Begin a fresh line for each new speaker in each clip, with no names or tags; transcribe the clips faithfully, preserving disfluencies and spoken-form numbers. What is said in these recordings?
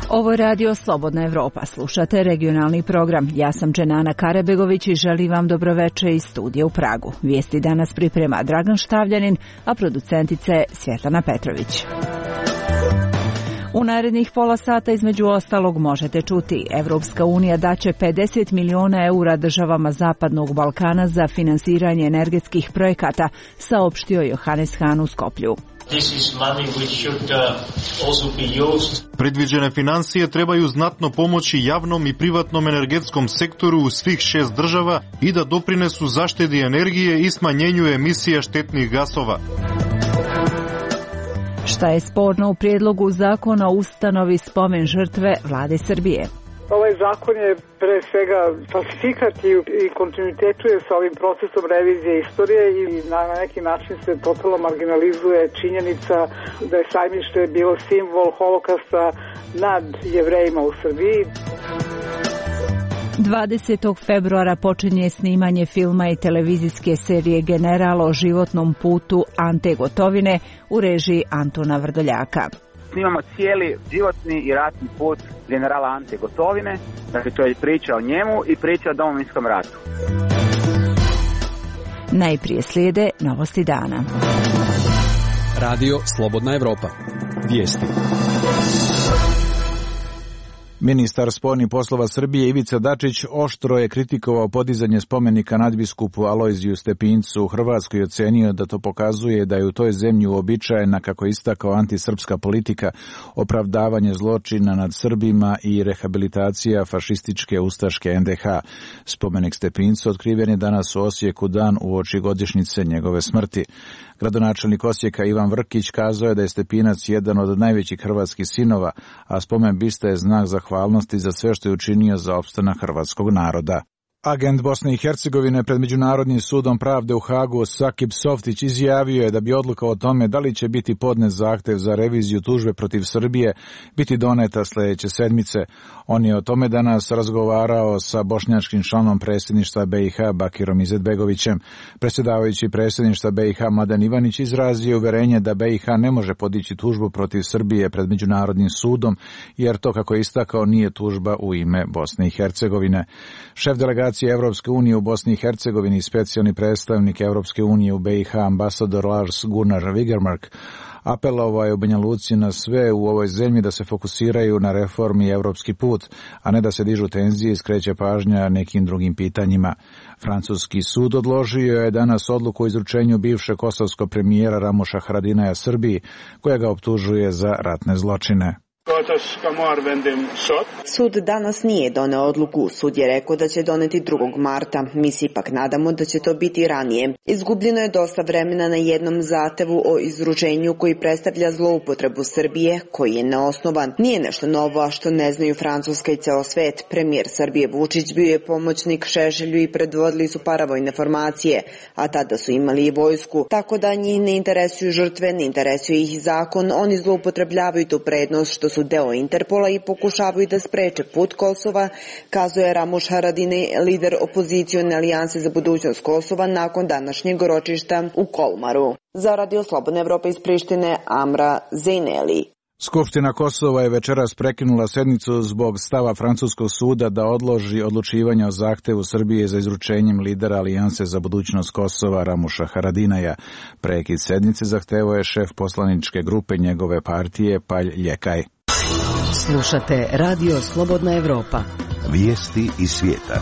Ovo je radio Slobodna Evropa. Slušate regionalni program. Ja sam Dženana Karabegović i želim vam dobroveče iz studija u Pragu. Vijesti danas priprema Dragan Štavljanin, a producentice Svjetlana Petrović. U narednih pola sata između ostalog možete čuti: Evropska unija daće pedeset miliona eura državama Zapadnog Balkana za finansiranje energetskih projekata, saopštio Johannes Hahn u Skoplju.
Predviđene financije trebaju znatno pomoći javnom i privatnom energetskom sektoru u svih šest država i da doprinesu zaštedi energije i smanjenju emisija štetnih gasova.
Šta je sporno u prijedlogu zakona o ustanovi spomen žrtve vlade Srbije?
Ovaj zakon je pre svega falsifikat i kontinuitetuje sa ovim procesom revizije istorije i na neki način se totalno marginalizuje činjenica da je Sajmište bilo simbol holokausta nad Jevrejima u Srbiji.
dvadesetog februara počinje snimanje filma i televizijske serije General o životnom putu Ante Gotovine u režiji Antona Vrdoljaka.
Snimamo cijeli životni i ratni put generala Ante Gotovine, dakle to je priča o njemu i priča o Domovinskom ratu.
Najprije slijede novosti dana.
Radio Slobodna Evropa. Vijesti.
Ministar spoljnih poslova Srbije Ivica Dačić oštro je kritikovao podizanje spomenika nadbiskupu Alojziju Stepincu u Hrvatskoj i ocenio da to pokazuje da je u toj zemlji uobičajena, kako je istakao, antisrpska politika, opravdavanje zločina nad Srbima i rehabilitacija fašističke ustaške en de ha. Spomenik Stepincu otkriven je danas u Osijeku dan uoči godišnjice njegove smrti. Gradonačelnik Osijeka Ivan Vrkić kazao je da je Stepinac jedan od najvećih hrvatskih sinova, a spomen biste je znak zahvalnosti za sve što je učinio za opstanak hrvatskog naroda. Agent Bosne i Hercegovine pred Međunarodnim sudom pravde u Hagu Sakip Softić izjavio je da bi odluka o tome da li će biti podnet zahtev za reviziju tužbe protiv Srbije biti doneta sljedeće sedmice. On je o tome danas razgovarao sa bošnjačkim članom predsjedništva be i ha Bakirom Izetbegovićem. Predsjedavajući predsjedništva be i ha Mladen Ivanić izrazio uverenje da be i ha ne može podići tužbu protiv Srbije pred Međunarodnim sudom, jer to, kako je istakao, nije tužba u ime Bosne i Hercegovine. Šef delegacije Evropske unije u Bosni i Hercegovini, specijalni predstavnik Evropske unije u be i ha ambasador Lars Gunnar Wigermark, apelovao je u Banja Luci na sve u ovoj zemlji da se fokusiraju na reformi i evropski put, a ne da se dižu tenzije i skreće pažnja nekim drugim pitanjima. Francuski sud odložio je danas odluku o izručenju bivšeg kosovskog premijera Ramuša Haradinaja Srbiji, koja ga optužuje za ratne zločine.
Sud danas nije doneo odluku. Sud je rekao da će doneti drugog marta. Mi se ipak nadamo da će to biti ranije. Izgubljeno je dosta vremena na jednom zahtevu o izručenju koji predstavlja zloupotrebu Srbije, koji je neosnovan. Nije nešto novo, a što ne znaju Francuska i ceo svet. Premijer Srbije Vučić bio je pomoćnik Šešelju i predvodili su paravojne formacije, a tada su imali i vojsku. Tako da njih ne interesuju žrtve, ne interesuje ih zakon. Oni zloupotrebljavaju tu prednost što su deo Interpola i pokušavaju da spreče put Kosova, kazuje Ramuš Haradinaj, lider opozicione alijanse za budućnost Kosova, nakon današnjeg ročišta u Kolmaru. Za Radio Slobodna Evropa iz Prištine, Amra Zejneli.
Skupština Kosova je večeras prekinula sednicu zbog stava francuskog suda da odloži odlučivanje o zahtevu Srbije za izručenjem lidera Alijanse za budućnost Kosova Ramuša Haradinaja. Prekid sednice zahtevao je šef poslaničke grupe njegove partije Palj Ljekaj.
Slušate Radio Slobodna Evropa.
Vijesti iz svijeta.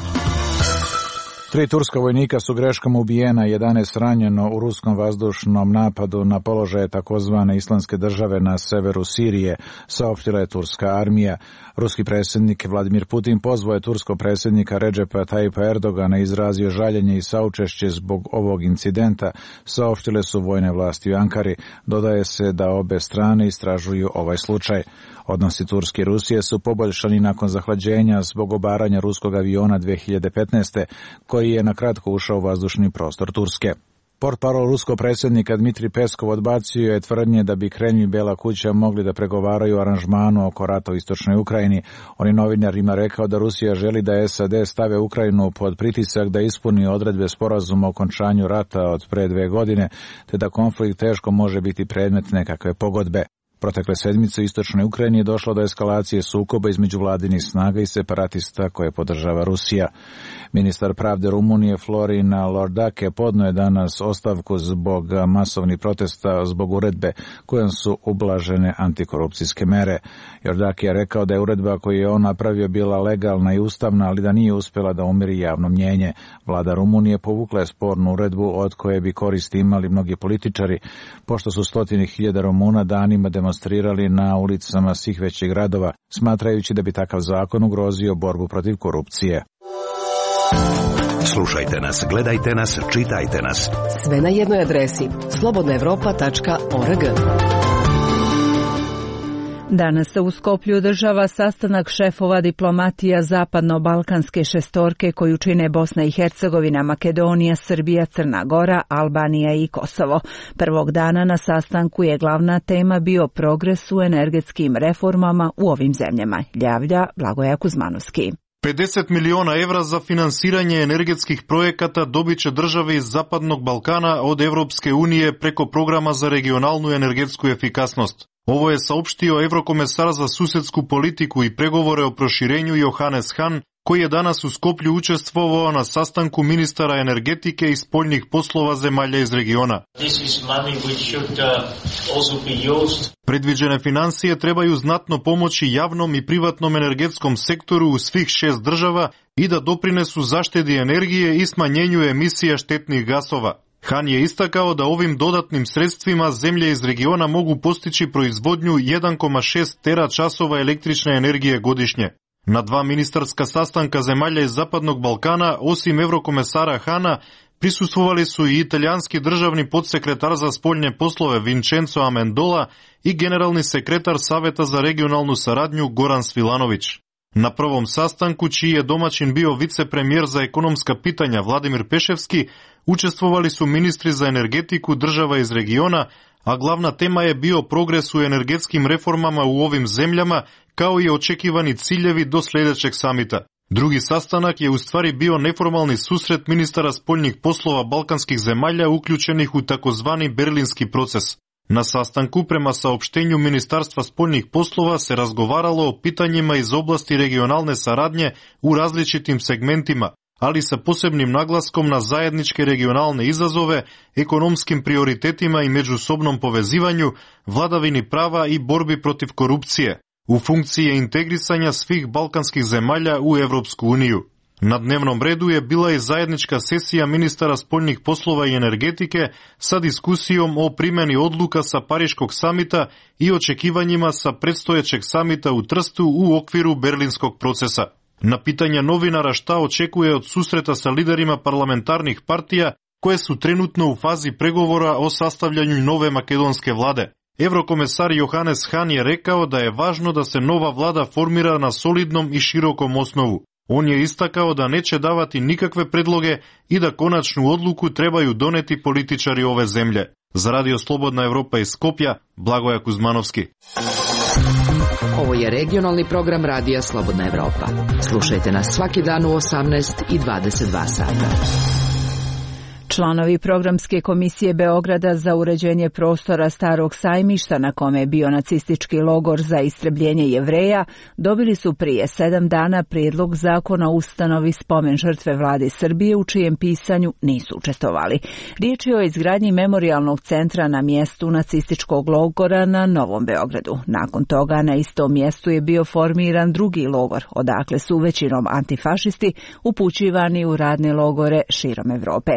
Tri turska vojnika su greškom ubijena, jedanaest ranjeno u ruskom vazdušnom napadu na položaje takozvane Islamske države na severu Sirije, saopštila je turska armija. Ruski predsjednik Vladimir Putin pozvao je turskog predsjednika Redžepa Tajipa Erdogana, izrazio žaljenje i saučešće zbog ovog incidenta, saopštile su vojne vlasti u Ankari. Dodaje se da obe strane istražuju ovaj slučaj. Odnosi Turske i Rusije su poboljšani nakon zahlađenja zbog obaranja ruskog aviona dve hiljade petnaeste. koji je na kratko ušao u vazdušni prostor Turske. Portparol ruskog predsjednika Dmitrij Peskov odbacio je tvrdnje da bi Kremlj i Bela kuća mogli da pregovaraju o aranžmanu oko rata u istočnoj Ukrajini. On je novinarima rekao da Rusija želi da S A D stave Ukrajinu pod pritisak da ispuni odredbe sporazuma o okončanju rata od pre dve godine, te da konflikt teško može biti predmet nekakve pogodbe. Protekle sedmice u istočnoj Ukrajini je došlo do eskalacije sukoba između vladinih snaga i separatista koje podržava Rusija. Ministar pravde Rumunije Florin Lordake podnio je danas ostavku zbog masovnih protesta zbog uredbe kojom su ublažene antikorupcijske mere. Lordake je rekao da je uredba koju je on napravio bila legalna i ustavna, ali da nije uspjela da umiri javno mnjenje. Vlada Rumunije povukla je spornu uredbu od koje bi koristi imali mnogi političari, pošto su stotini hiljada Rumuna danima demonstrirali na ulicama svih većih gradova, smatrajući da bi takav zakon ugrozio borbu protiv korupcije.
Slušajte nas, gledajte nas, čitajte nas.
Sve na jednoj adresi slobodna evropa tačka org.
Danas se u Skoplju održava sastanak šefova diplomatija zapadno-balkanske šestorke koju čine Bosna i Hercegovina, Makedonija, Srbija, Crna Gora, Albanija i Kosovo. Prvog dana na sastanku je glavna tema bio progres u energetskim reformama u ovim zemljama, javlja Blagoja Kuzmanovski.
pedeset miliona evra za finansiranje energetskih projekata dobit će države iz Zapadnog Balkana od Evropske unije preko programa za regionalnu energetsku efikasnost. Ovo je saopštio evrokomesar za susedsku politiku i pregovore o proširenju Johannes Hahn, koji je danas u Skoplju učestvovao na sastanku ministara energetike i spoljnih poslova zemalja iz regiona. Predviđene financije trebaju znatno pomoći javnom i privatnom energetskom sektoru u svih šest država i da doprinesu zaštedi energije i smanjenju emisija štetnih gasova. Han je istakao da ovim dodatnim sredstvima zemlje iz regiona mogu postići proizvodnju jedan zarez šest teračasova električne energije godišnje. Na dva ministarska sastanka zemalja iz Zapadnog Balkana, osim evrokomesara Hana, prisustvovali su i italijanski državni podsekretar za spoljne poslove Vincenzo Amendola i generalni sekretar Saveta za regionalnu saradnju Goran Svilanović. Na prvom sastanku, čiji je domaćin bio vicepremijer za ekonomska pitanja Vladimir Peševski, učestvovali su ministri za energetiku država iz regiona, a glavna tema je bio progres u energetskim reformama u ovim zemljama, kao i očekivani ciljevi do sljedećeg samita. Drugi sastanak je u stvari bio neformalni susret ministara spoljnih poslova balkanskih zemalja uključenih u takozvani berlinski proces. Na sastanku, prema saopštenju Ministarstva spoljnih poslova, se razgovaralo o pitanjima iz oblasti regionalne saradnje u različitim segmentima, ali sa posebnim naglaskom na zajedničke regionalne izazove, ekonomskim prioritetima i međusobnom povezivanju, vladavini prava i borbi protiv korupcije, u funkciji integrisanja svih balkanskih zemalja u Evropsku uniju. Na dnevnom redu je bila i zajednička sesija ministara spoljnih poslova i energetike sa diskusijom o primjeni odluka sa Pariškog samita i očekivanjima sa predstojećeg samita u Trstu u okviru berlinskog procesa. Na pitanja novinara šta očekuje od susreta sa liderima parlamentarnih partija koje su trenutno u fazi pregovora o sastavljanju nove makedonske vlade, evrokomesar Johannes Hahn je rekao da je važno da se nova vlada formira na solidnom i širokom osnovu. On je istakao da neće davati nikakve predloge i da konačnu odluku trebaju doneti političari ove zemlje. Za Radio Slobodna Evropa iz Skopja, Blagoja Kuzmanovski.
Ovo je regionalni program Radija Slobodna Evropa. Slušajte nas svaki dan u osamnaest i dvadeset dva sata.
Članovi programske komisije Beograda za uređenje prostora Starog sajmišta, na kome je bio nacistički logor za istrebljenje Jevreja, dobili su prije sedam dana prijedlog zakona o ustanovi spomen žrtve vlade Srbije, u čijem pisanju nisu učestvovali. Riječ je o izgradnji memorijalnog centra na mjestu nacističkog logora na Novom Beogradu. Nakon toga na istom mjestu je bio formiran drugi logor, odakle su većinom antifašisti upućivani u radne logore širom Evrope.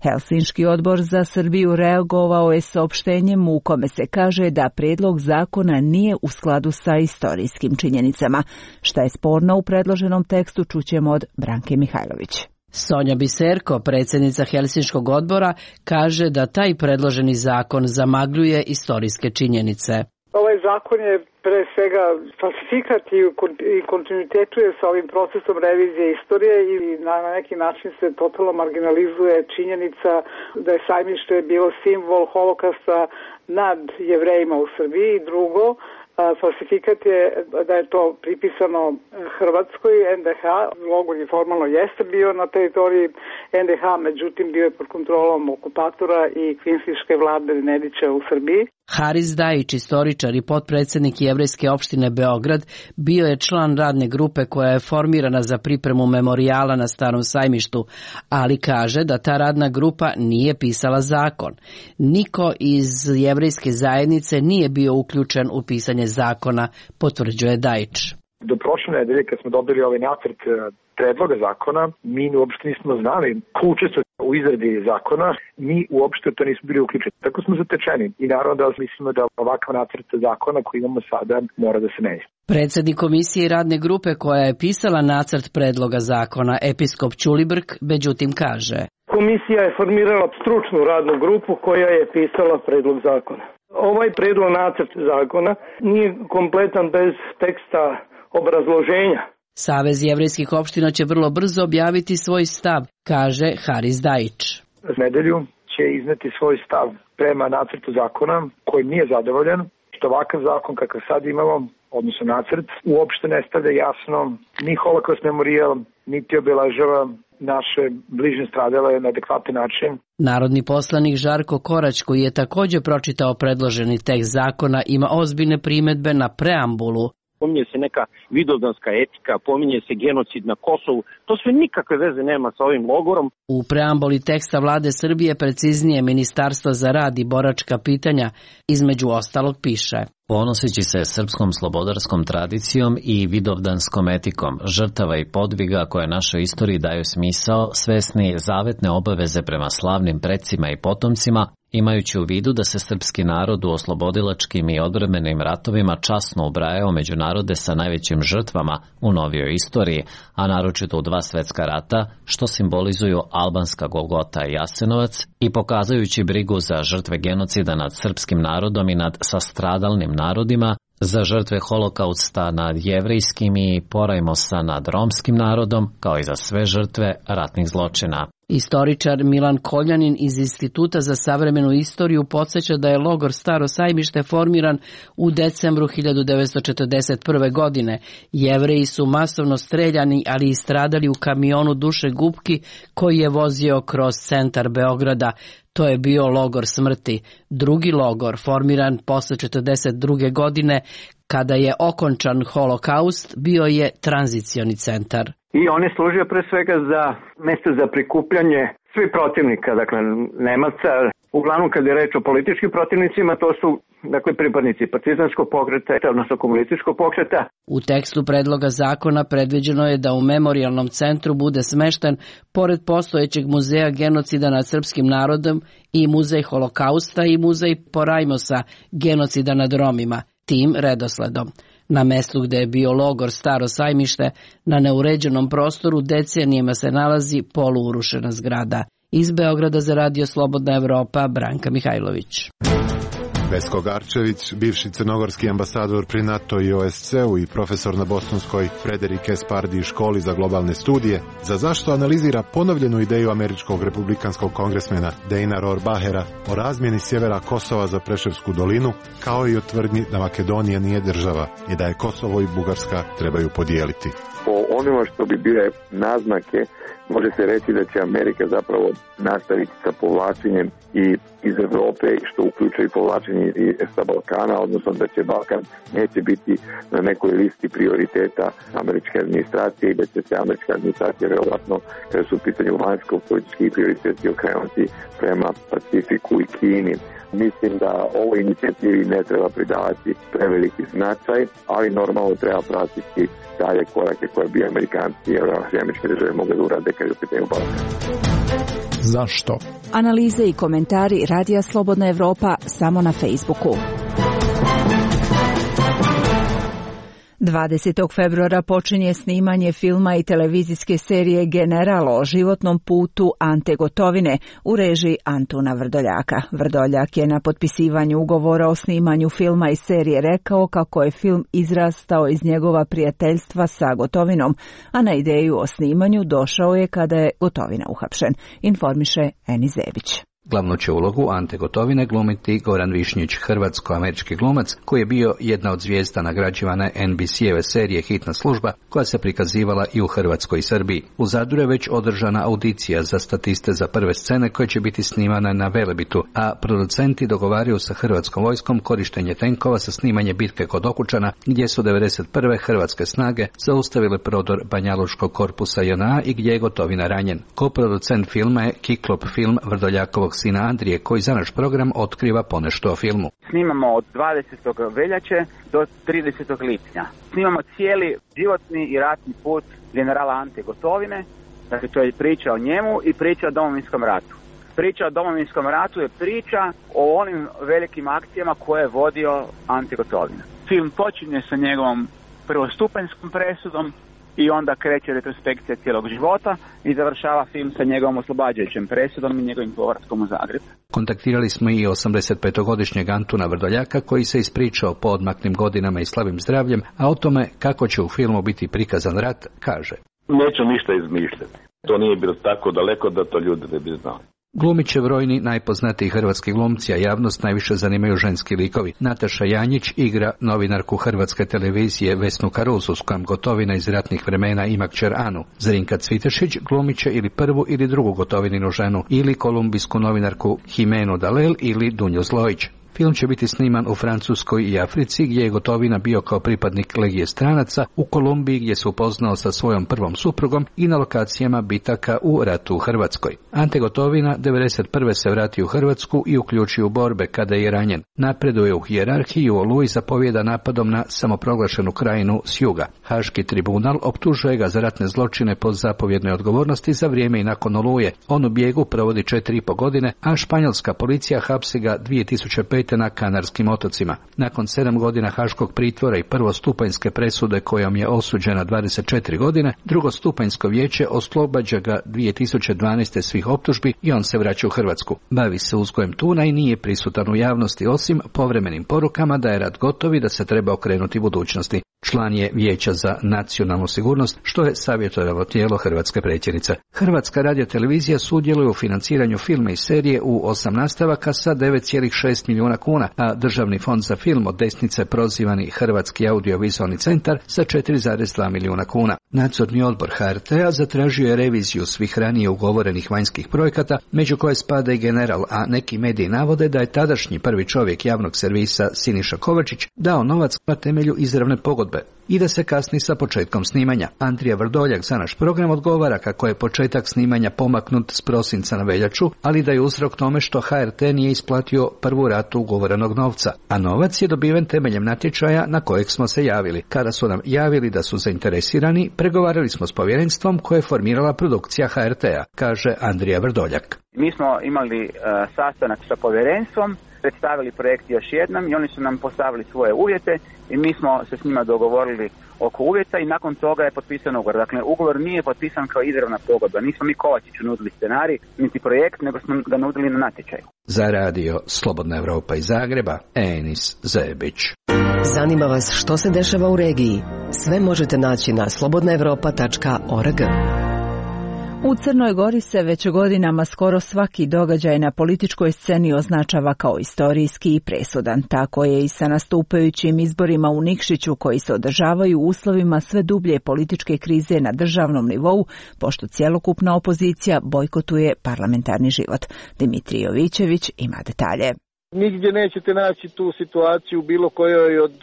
Helsinški odbor za Srbiju reagovao je saopštenjem u kome se kaže da prijedlog zakona nije u skladu sa istorijskim činjenicama. Šta je sporno u predloženom tekstu, čućemo od Branke Mihajlović.
Sonja Biserko, predsjednica Helsinškog odbora, kaže da taj predloženi zakon zamagljuje istorijske činjenice.
Ovaj zakon je pre svega falsifikat i kontinuitetu je sa ovim procesom revizije istorije i na neki način se totalno marginalizuje činjenica da je sajmište bilo simbol holokausta nad Jevrejima u Srbiji. Drugo, falsifikat je da je to pripisano Hrvatskoj, en de ha. Logor je formalno jeste bio na teritoriji en de ha, međutim bio je pod kontrolom okupatora i kvinstiške vlade Nedića u Srbiji.
Haris Dajić, istoričar i potpredsednik Jevrejske opštine Beograd, bio je član radne grupe koja je formirana za pripremu memorijala na Starom sajmištu, ali kaže da ta radna grupa nije pisala zakon. Niko iz jevrejske zajednice nije bio uključen u pisanje zakona, potvrđuje Dajić.
Do prošle nedelje kad smo dobili ovaj nacrt predloga zakona, mi uopšte nismo znali ko učestvuje u izradi zakona, mi uopšte to nismo bili uključeni. Tako smo zatečeni i naravno da mislimo da ovakav nacrt zakona koji imamo sada mora da se menja.
Predsednik komisije i radne grupe koja je pisala nacrt predloga zakona, episkop Ćulibrk, međutim kaže:
Komisija je formirala stručnu radnu grupu koja je pisala predlog zakona. Ovaj predlog nacrt zakona nije kompletan bez teksta obrazloženja.
Savez jevrejskih opština će vrlo brzo objaviti svoj stav, kaže Haris Dajić.
Za nedelju će izneti svoj stav prema nacrtu zakona kojim nije zadovoljan, što ovakav zakon kakav sad imamo, odnosno nacrt, uopšte ne stavlja jasno ni holokaust memorijal, niti obeležava naše bližnje stradale na adekvatan način.
Narodni poslanik Žarko Korać, koji je takođe pročitao predloženi tekst zakona, ima ozbiljne primedbe na preambulu.
Pominje se neka vidovdanska etika, pominje se genocid na Kosovu. To sve nikakve veze nema sa ovim logorom.
U preambuli teksta Vlade Srbije, preciznije Ministarstva za rad i boračka pitanja, između ostalog piše:
Ponoseći se srpskom slobodarskom tradicijom i vidovdanskom etikom, žrtava i podviga koje našoj istoriji daju smisao, svesni zavetne obaveze prema slavnim precima i potomcima, imajući u vidu da se srpski narod u oslobodilačkim i odbrambenim ratovima časno ubrajao među narode sa najvećim žrtvama u novijoj istoriji, a naročito u dva svetska rata, što simbolizuju albanska Golgota i Jasenovac, i pokazujući brigu za žrtve genocida nad srpskim narodom i nad sastradalnim narodima, za žrtve holokausta nad jevrejskim i porajmosa nad romskim narodom, kao i za sve žrtve ratnih zločina.
Istoričar Milan Koljanin iz Instituta za savremenu istoriju podsjeća da je logor Staro sajmište formiran u decembru hiljadu devetsto četrdeset prve. godine. Jevreji su masovno streljani, ali i stradali u kamionu Duše Gubki koji je vozio kroz centar Beograda. To je bio logor smrti. Drugi logor, formiran posle četrdeset druge. godine, kada je okončan holokaust, bio je tranzicioni centar.
I on je služio pre svega za mesto za prikupljanje svih protivnika, dakle Nemaca. Uglavnom kad je reč o političkim protivnicima, to su dakle pripadnici partizanskog pokreta, odnosno komunističkog pokreta.
U tekstu predloga zakona predviđeno je da u memorijalnom centru bude smešten, pored postojećeg muzeja genocida nad srpskim narodom, i muzej holokausta i muzej Porajmosa, genocida nad Romima, tim redosledom. Na mestu gde je bio logor Staro sajmište, na neuređenom prostoru decenijima se nalazi poluurušena zgrada. Iz Beograda za Radio Slobodna Evropa, Branka Mihajlović.
Vesko Garčević, bivši crnogorski ambasador pri NATO i O S C-u i profesor na Bostonskoj Frederik S. Pardee školi za globalne studije, za zašto analizira ponovljenu ideju američkog republikanskog kongresmena Dejna Rohrbachera o razmjeni sjevera Kosova za Preševsku dolinu, kao i o tvrdnji da Makedonija nije država i da je Kosovo i Bugarska trebaju podijeliti.
Po onima što bi bile naznake, može se reći da će Amerika zapravo nastaviti sa povlačenjem i iz Evrope, što uključuje i povlačenje i sa Balkana, odnosno da će Balkan neće biti na nekoj listi prioriteta američke administracije i da će se američka administracija verovatno, kada su u pitanju vanjsko-politički prioriteti, okrenuti prema Pacifiku i Kini. Mislim da ovoj inicijativi ne treba pridavati preveliki značaj, ali normalno treba pratiti dalje korake koje bi Amerikanci i američke države mogle da urade kad je u pitanju Balkan.
Zašto?
Analize i komentari Radija Slobodna Evropa samo na Facebooku. dvadesetog februara počinje snimanje filma i televizijske serije General o životnom putu Ante Gotovine u režiji Antuna Vrdoljaka. Vrdoljak je na potpisivanju ugovora o snimanju filma i serije rekao kako je film izrastao iz njegova prijateljstva sa Gotovinom, a na ideju o snimanju došao je kada je Gotovina uhapšen, informiše Eni Zebić.
Glavnu će ulogu Ante Gotovine glumiti Goran Višnjić, hrvatsko-američki glumac koji je bio jedna od zvijezda nagrađivane en bi si-eve serije Hitna služba koja se prikazivala i u Hrvatskoj i Srbiji. U Zadru je već održana audicija za statiste za prve scene koje će biti snimane na Velebitu, a producenti dogovaraju sa hrvatskom vojskom korištenje tenkova za snimanje bitke kod Okučana gdje su devedeset prve hrvatske snage zaustavile prodor Banjalučkog korpusa je en a i gdje je Gotovina ranjen. Koproducent filma je Kiklop film Vrdoljakovog sina Andrije koji za naš program otkriva ponešto o filmu.
Snimamo od dvadesetog veljače do tridesetog lipnja. Snimamo cijeli životni i ratni put generala Ante Gotovine, dakle to je priča o njemu i priča o Domovinskom ratu. Priča o Domovinskom ratu je priča o onim velikim akcijama koje je vodio Ante Gotovina. Film počinje sa njegovom prvostupanjskom presudom i onda kreće retrospekcija cijelog života i završava film sa njegovom oslobađajućem presudom i njegovim povratkom u Zagreb.
Kontaktirali smo i osamdesetpetogodišnjeg Antuna Vrdoljaka koji se ispričao po odmaklim godinama i slabim zdravljem, a o tome kako će u filmu biti prikazan rat kaže:
Neću ništa izmišljati. To nije bilo tako daleko da to ljudi ne bi znali.
Glumit će brojni najpoznatiji hrvatski glumci, a javnost najviše zanimaju ženski likovi. Nataša Janjić igra novinarku hrvatske televizije Vesnu Karuzu, s kojom Gotovina iz ratnih vremena ima kćer Anu. Zrinka Cvitešić glumit će ili prvu ili drugu Gotovininu ženu, ili kolumbijsku novinarku Jimenu Dalel ili Dunju Zlojić. Film će biti sniman u Francuskoj i Africi, gdje je Gotovina bio kao pripadnik Legije stranaca, u Kolumbiji gdje se upoznao sa svojom prvom suprugom i na lokacijama bitaka u ratu u Hrvatskoj. Ante Gotovina devedeset prve se vrati u Hrvatsku i uključi u borbe kada je ranjen. Napreduje u hijerarhiji, u Oluji zapovjeda napadom na samoproglašenu krajinu s juga. Haški tribunal optužuje ga za ratne zločine pod zapovjednoj odgovornosti za vrijeme i nakon Oluje. On u bijegu provodi četiri i po godine, a španjolska policija hapsi ga dvije tisuće pete na Kanarskim otocima. Nakon sedam godina haškog pritvora i prvostupanjske presude kojom je osuđena dvadeset četiri godine, drugostupanjsko vijeće oslobađa ga dvije tisuće dvanaeste svih optužbi i on se vraća u Hrvatsku. Bavi se uzgojem tuna i nije prisutan u javnosti osim povremenim porukama da je rat gotov i da se treba okrenuti budućnosti. Član je Vijeća za nacionalnu sigurnost, što je savjetodavno tijelo hrvatske predsjednice. Hrvatska radiotelevizija sudjeluje u financiranju filma i serije u osam nastavaka sa devet zarez šest milijuna kuna, a Državni fond za film od desnice prozivani Hrvatski audiovizualni centar sa četiri zarez dva milijuna kuna. Nadzorni odbor ha er te a zatražio je reviziju svih ranije ugovorenih vanjskih projekata, među koje spada i General, a neki mediji navode da je tadašnji prvi čovjek javnog servisa Siniša Kovačić dao novac na temelju izravne pogodbe i da se kasni sa početkom snimanja. Andrija Vrdoljak za naš program odgovara kako je početak snimanja pomaknut s prosinca na veljaču, ali da je uzrok tome što ha er te nije isplatio prvu ratu ugovorenog novca, a novac je dobiven temeljem natječaja na kojeg smo se javili. Kada su nam javili da su zainteresirani, pregovarali smo s povjerenstvom koje je formirala produkcija ha er te a, kaže Andrija Vrdoljak.
Mi smo imali uh, sastanak sa povjerenstvom, predstavili projekt još jednom i oni su nam postavili svoje uvjete i mi smo se s njima dogovorili oko uvjeta i nakon toga je potpisan ugovor. Dakle, ugovor nije potpisan kao izravna pogodba. Nismo mi Kovačiću nudili scenarij, niti projekt, nego smo ga nudili na natječaju.
Za radio Slobodna Evropa iz Zagreba, Enis Zebić.
Zanima vas što se dešava u regiji? Sve možete naći na slobodna evropa tačka org.
U Crnoj Gori se već godinama skoro svaki događaj na političkoj sceni označava kao istorijski i presudan. Tako je i sa nastupajućim izborima u Nikšiću koji se održavaju u uslovima sve dublje političke krize na državnom nivou, pošto cjelokupna opozicija bojkotuje parlamentarni život. Dimitrij Jovićević ima detalje.
Nigdje nećete naći tu situaciju bilo kojoj od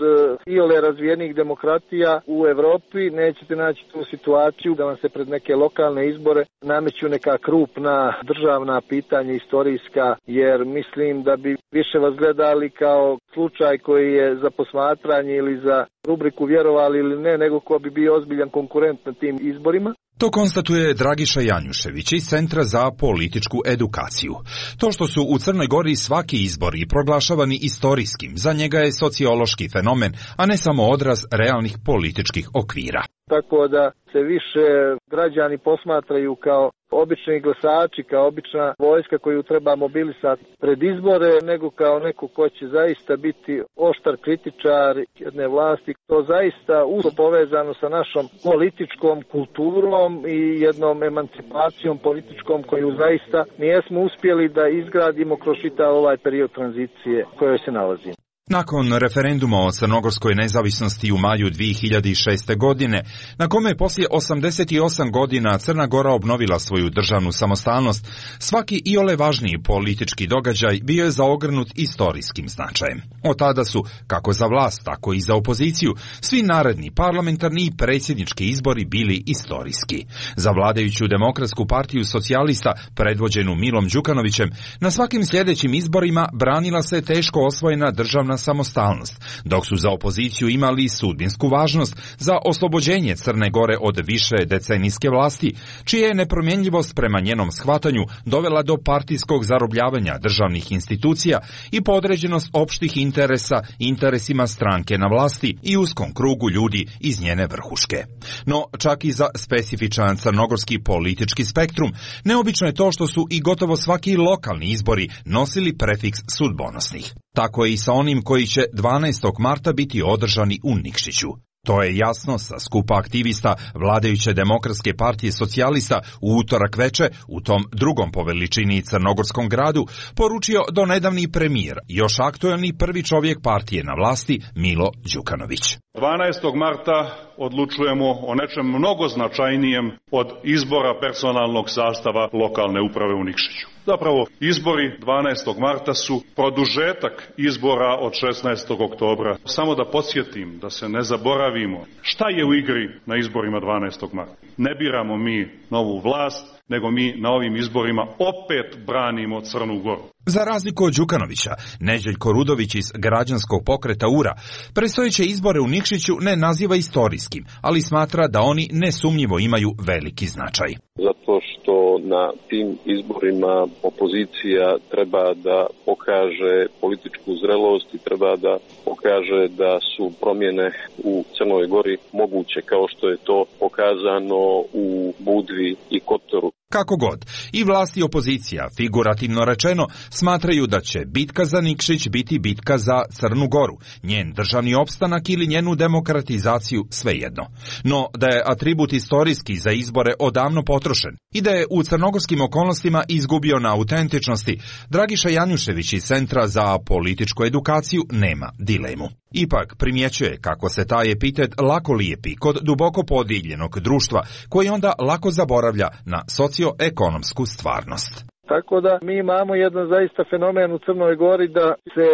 iole razvijenih demokratija u Europi, nećete naći tu situaciju da vam se pred neke lokalne izbore nameću neka krupna državna pitanja istorijska, jer mislim da bi više vas gledali kao slučaj koji je za posmatranje ili za rubriku vjerovali ili ne, nego ko bi bio ozbiljan konkurent na tim izborima.
To konstatuje Dragiša Janjušević iz Centra za političku edukaciju. To što su u Crnoj Gori svaki izbori proglašavani istorijskim, za njega je sociološki fenomen, a ne samo odraz realnih političkih okvira.
tako da se više građani posmatraju kao obični glasači, kao obična vojska koju treba mobilisati pred izbore, nego kao neko ko će zaista biti oštar kritičar jedne vlasti. To zaista usko povezano sa našom političkom kulturom i jednom emancipacijom političkom koju zaista nijesmo uspjeli da izgradimo kroz čitav ovaj period tranzicije u kojoj se nalazimo.
Nakon referenduma o crnogorskoj nezavisnosti u maju dvije hiljade šeste. godine, na kome je poslije osamdeset osam godina Crna Gora obnovila svoju državnu samostalnost, svaki iole važniji politički događaj bio je zaogrnut istorijskim značajem. Od tada su, kako za vlast, tako i za opoziciju, svi naredni parlamentarni i predsjednički izbori bili istorijski. Za vladajuću Demokratsku partiju socijalista, predvođenu Milom Đukanovićem, na svakim sljedećim izborima branila se teško osvojena državna samostalnost, dok su za opoziciju imali sudbinsku važnost za oslobođenje Crne Gore od više decenijske vlasti, čija je nepromjenljivost prema njenom shvatanju dovela do partijskog zarobljavanja državnih institucija i podređenost opštih interesa interesima stranke na vlasti i uskom krugu ljudi iz njene vrhuške. No, čak i za specifičan crnogorski politički spektrum, neobično je to što su i gotovo svaki lokalni izbori nosili prefiks sudbonosnih. Tako je i sa onim koji će dvanaestog marta biti održani u Nikšiću. To je jasno sa skupa aktivista vladajuće Demokratske partije socijalista u utorak veče u tom drugom po veličini crnogorskom gradu poručio donedavni premijer, još aktuelni prvi čovjek partije na vlasti Milo Đukanović.
dvanaestog marta odlučujemo o nečem mnogo značajnijem od izbora personalnog sastava lokalne uprave u Nikšiću. Zapravo, izbori dvanaestog marta su produžetak izbora od šesnaestog oktobra. Samo da podsjetim, da se ne zaboravimo, šta je u igri na izborima dvanaestog marta. Ne biramo mi novu vlast, nego mi na ovim izborima opet branimo Crnu Goru.
Za razliku od Đukanovića, Neđeljko Rudović iz građanskog pokreta U R A predstojeće izbore u Nikšiću ne naziva istorijskim, ali smatra da oni nesumnjivo imaju veliki značaj.
Zato što na tim izborima opozicija treba da pokaže političku zrelost i treba da pokaže da su promjene u Crnoj Gori moguće, kao što je to pokazano u Budvi i Kotoru.
Kako god, i vlast i opozicija, figurativno rečeno, smatraju da će bitka za Nikšić biti bitka za Crnu Goru, njen državni opstanak ili njenu demokratizaciju, svejedno. No, da je atribut istorijski za izbore odavno potrošen i da je u crnogorskim okolnostima izgubio na autentičnosti, Dragiša Janjušević iz Centra za političku edukaciju nema dilemu. Ipak primjećuje kako se taj epitet lako lijepi kod duboko podijeljenog društva, koji onda lako zaboravlja na socioekonomsku stvarnost.
Tako da mi imamo jedan zaista fenomen u Crnoj Gori da se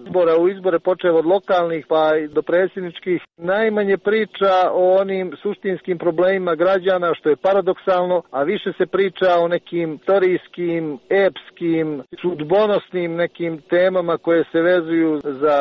izbora u izbore počeo od lokalnih pa i do predsjedničkih najmanje priča o onim suštinskim problemima građana, što je paradoksalno, a više se priča o nekim istorijskim, epskim, sudbonosnim nekim temama koje se vezuju za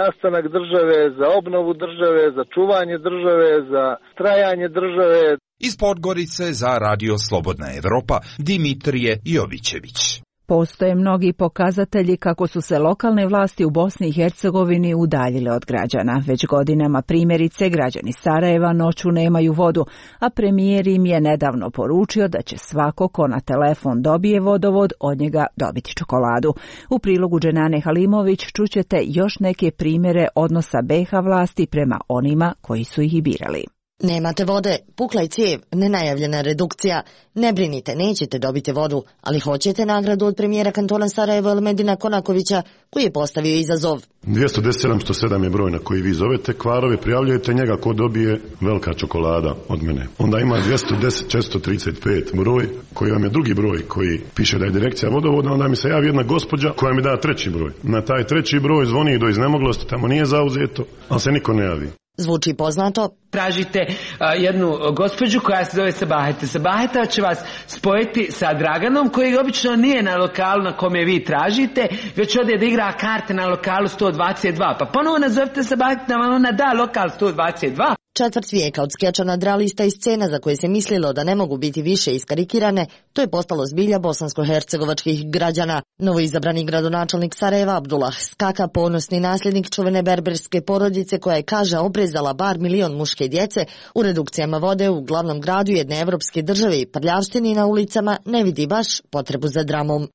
nastanak države, za obnovu države, za čuvanje države, za trajanje države.
Iz Podgorice za Radio Slobodna Evropa, Dimitrije Jovićević.
Postoje mnogi pokazatelji kako su se lokalne vlasti u Bosni i Hercegovini udaljile od građana. Već godinama primjerice građani Sarajeva noću nemaju vodu, a premijer im je nedavno poručio da će svako ko na telefon dobije vodovod od njega dobiti čokoladu. U prilogu Dženane Halimović čućete još neke primjere odnosa be ha vlasti prema onima koji su ih i birali.
Nemate vode, pukla je cijev, nenajavljena redukcija. Ne brinite, nećete dobiti vodu, ali hoćete nagradu od premijera kantona Sarajevo Elmedina Konakovića, koji je postavio izazov.
dvjesto deset sedamsto sedam je broj na koji vi zovete kvarove, prijavljujete njega ko dobije velika čokolada od mene. Onda ima dvjesto deset četiristo trideset pet broj koji vam je drugi broj koji piše da je direkcija vodovoda, onda mi se javi jedna gospođa koja mi da treći broj. Na taj treći broj zvoni do iznemoglosti, tamo nije zauzeto, ali se niko ne javi.
Zvuči poznato.
Tražite a, jednu gospođu koja se zove Sabaheta. Sabaheta će vas spojiti sa Draganom, koji obično nije na lokalu na kome vi tražite, već ode da igra karte na lokalu sto dvadeset dva. Pa ponovo nazovite Sabaheta, ona da lokal sto dvadeset dva.
Četvrt vijeka od skeča nadrealista i scena za koje se mislilo da ne mogu biti više iskarikirane, to je postalo zbilja bosansko-hercegovačkih građana. Novoizabrani gradonačelnik Sarajeva Abdullah Skaka, ponosni nasljednik čuvene berberske porodice koja je, kaže, obrezala bar milion muške djece, u redukcijama vode u glavnom gradu jedne evropske države i prljavštini na ulicama ne vidi baš potrebu za dramom.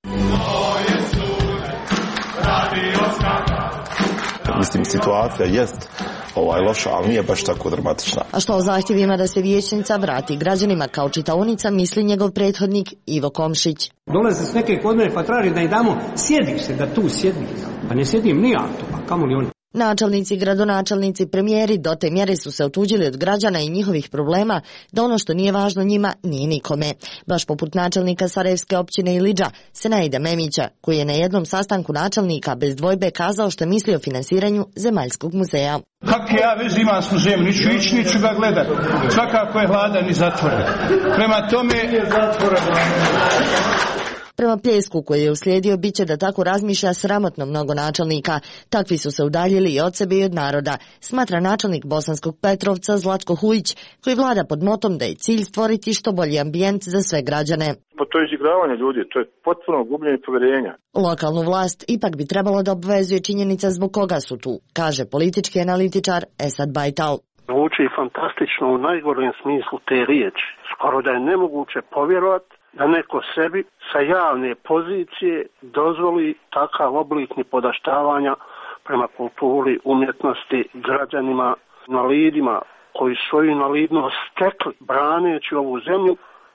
Mislim, situacija jest ovaj loša, ali nije baš tako dramatična.
A što o zahtjevima da se vijećnica vrati građanima kao čitaonica misli njegov prethodnik Ivo Komšić.
Dolaze s neke kod mene pa traži da im damo sjedište, da tu sjedim. Pa ne sjedim ni ja tu, a kamo li oni?
Načelnici, gradonačelnici, premijeri do te mjere su se otuđili od građana i njihovih problema da ono što nije važno njima nije nikome. Baš poput načelnika Sarajevske općine Ilidža, Senaida Memića, koji je na jednom sastanku načelnika bez dvojbe kazao što misli o finansiranju Zemaljskog muzeja.
Kakve ja veze imam s muzejom, niću ići, niću ga gledat. Svakako je hladan i zatvoren. Prema tome je zatvoren.
Prema pljesku koji je uslijedio bit će da tako razmišlja sramotno mnogo načelnika. Takvi su se udaljili i od sebe i od naroda, smatra načelnik Bosanskog Petrovca Zlatko Hujić, koji vlada pod motom da je cilj stvoriti što bolji ambijent za sve građane.
Pa to je izigravanje ljudi, to je potpuno gubljenje povjerenja.
Lokalnu vlast ipak bi trebalo da obvezuje činjenica zbog koga su tu, kaže politički analitičar Esad Bajtal.
Zvuči fantastično u najgorem smislu te riječi. Skoro da je nemoguće povjerovati da neko sebi sa javne pozicije dozvoli takav oblik nipodaštavanja prema kulturi, umjetnosti, građanima, invalidima koji svoju invalidnost stekli braneći ovu zemlju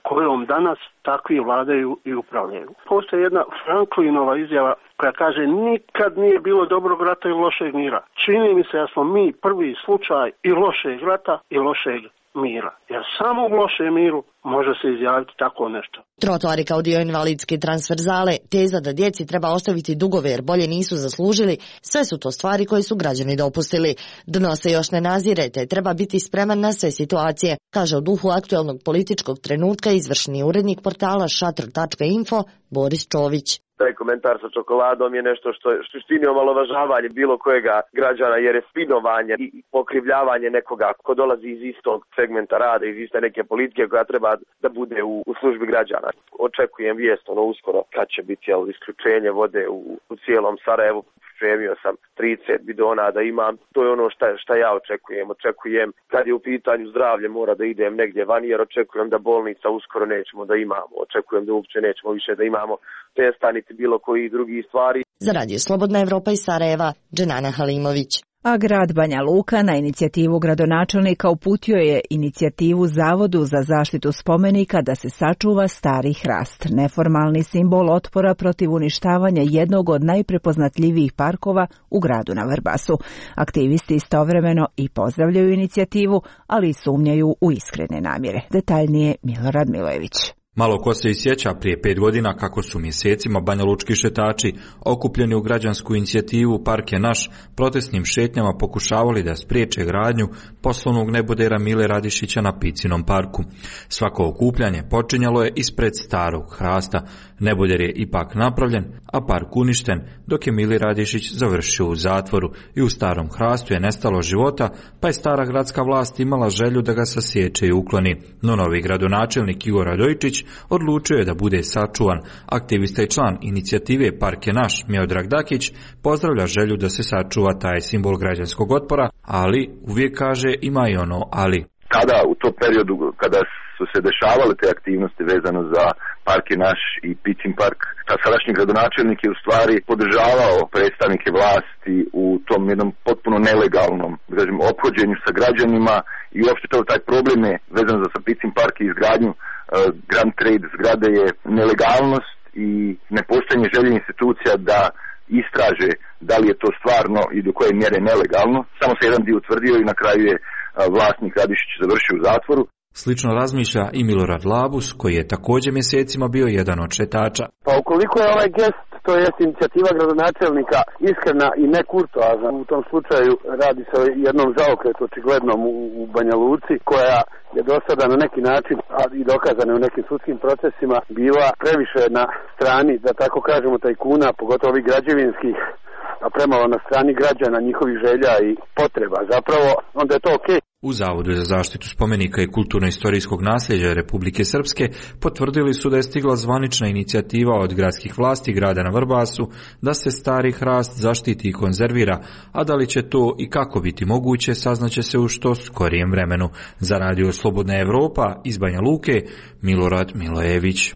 kojom danas takvi vladaju i upravljaju. Postoji jedna Franklinova izjava koja kaže nikad nije bilo dobrog rata i lošeg mira. Čini mi se da smo mi prvi slučaj i lošeg rata i lošeg mira. Jer samo u lošem miru može se izjaviti tako nešto.
Trotoari kao dio invalidske transverzale, teza da djeci treba ostaviti dugove jer bolje nisu zaslužili, sve su to stvari koje su građani dopustili. Dno se još ne nazire, te treba biti spreman na sve situacije, kaže u duhu aktuelnog političkog trenutka izvršni urednik portala šatr tačka info Boris Čović.
Taj komentar sa čokoladom je nešto što je suštini omalovažavanje bilo kojega građana, jer je spinovanje i pokrivljavanje nekoga ko dolazi iz istog segmenta rada, iz iste neke politike koja treba da bude u, u službi građana. Očekujem vijest ono uskoro kad će biti jel, isključenje vode u, u cijelom Sarajevu. Spremio sam trideset bidona da imam. To je ono šta, šta ja očekujem. Očekujem kad je u pitanju zdravlje mora da idem negdje van, jer očekujem da bolnica uskoro nećemo da imamo. Očekujem da uopće nećemo više da imamo testa niti bilo koji drugi stvari.
Za Radio Slobodna Evropa iz Sarajeva, Dženana Halimović.
A grad Banja Luka na inicijativu gradonačelnika uputio je inicijativu Zavodu za zaštitu spomenika da se sačuva stari hrast, neformalni simbol otpora protiv uništavanja jednog od najprepoznatljivijih parkova u gradu na Vrbasu. Aktivisti istovremeno i pozdravljaju inicijativu, ali i sumnjaju u iskrene namjere. Detaljnije Milorad Milojević.
Malo ko se i sjeća prije pet godina kako su mjesecima banjalučki šetači okupljeni u građansku inicijativu Park je naš protestnim šetnjama pokušavali da spriječe gradnju poslovnog nebodera Mile Radišića na Picinom parku. Svako okupljanje počinjalo je ispred starog hrasta. Neboder je ipak napravljen, a park uništen, dok je Mili Radišić završio u zatvoru i u starom hrastu je nestalo života, pa je stara gradska vlast imala želju da ga sasječe i ukloni. No novi gradonačelnik Igor Radojčić odlučio je da bude sačuvan. Aktivista i član inicijative Park je naš, Miodrag Dakić, pozdravlja želju da se sačuva taj simbol građanskog otpora, ali uvijek kaže ima i ono ali.
Kada u tom periodu, kada su se dešavale te aktivnosti vezano za Park je naš i Picin park, ta sadašnji gradonačelnik je u stvari podržavao predstavnike vlasti u tom jednom potpuno nelegalnom, da kažem, ophođenju sa građanima i uopšte to taj problem je vezan za Picin park i izgradnju uh, Grand Trade zgrade je nelegalnost i nepostojanje želje institucija da istraže da li je to stvarno i do koje mjere nelegalno. Samo se jedan dio utvrdio i na kraju je vlasnik Radišić završio u zatvoru.
Slično razmišlja i Milorad Labus, koji je također mjesecima bio jedan od šetača.
Pa ukoliko je ovaj gest, to je inicijativa gradonačelnika, iskrena i nekurtoazna, u tom slučaju radi se o jednom zaokretu očiglednom u, u Banja Luci, koja je do sada na neki način, a i dokazana u nekim sudskim procesima, bila previše na strani, da tako kažemo, tajkuna, pogotovo ovih građevinskih, a premalo na strani građana, njihovih želja i potreba. Zapravo, onda je to okej.
U Zavodu za zaštitu spomenika i kulturno-istorijskog nasljeđa Republike Srpske potvrdili su da je stigla zvanična inicijativa od gradskih vlasti grada na Vrbasu da se stari hrast zaštiti i konzervira, a da li će to i kako biti moguće saznaće se u što skorijem vremenu. Za Radio Slobodna Evropa iz Banja Luke, Milorad Milojević.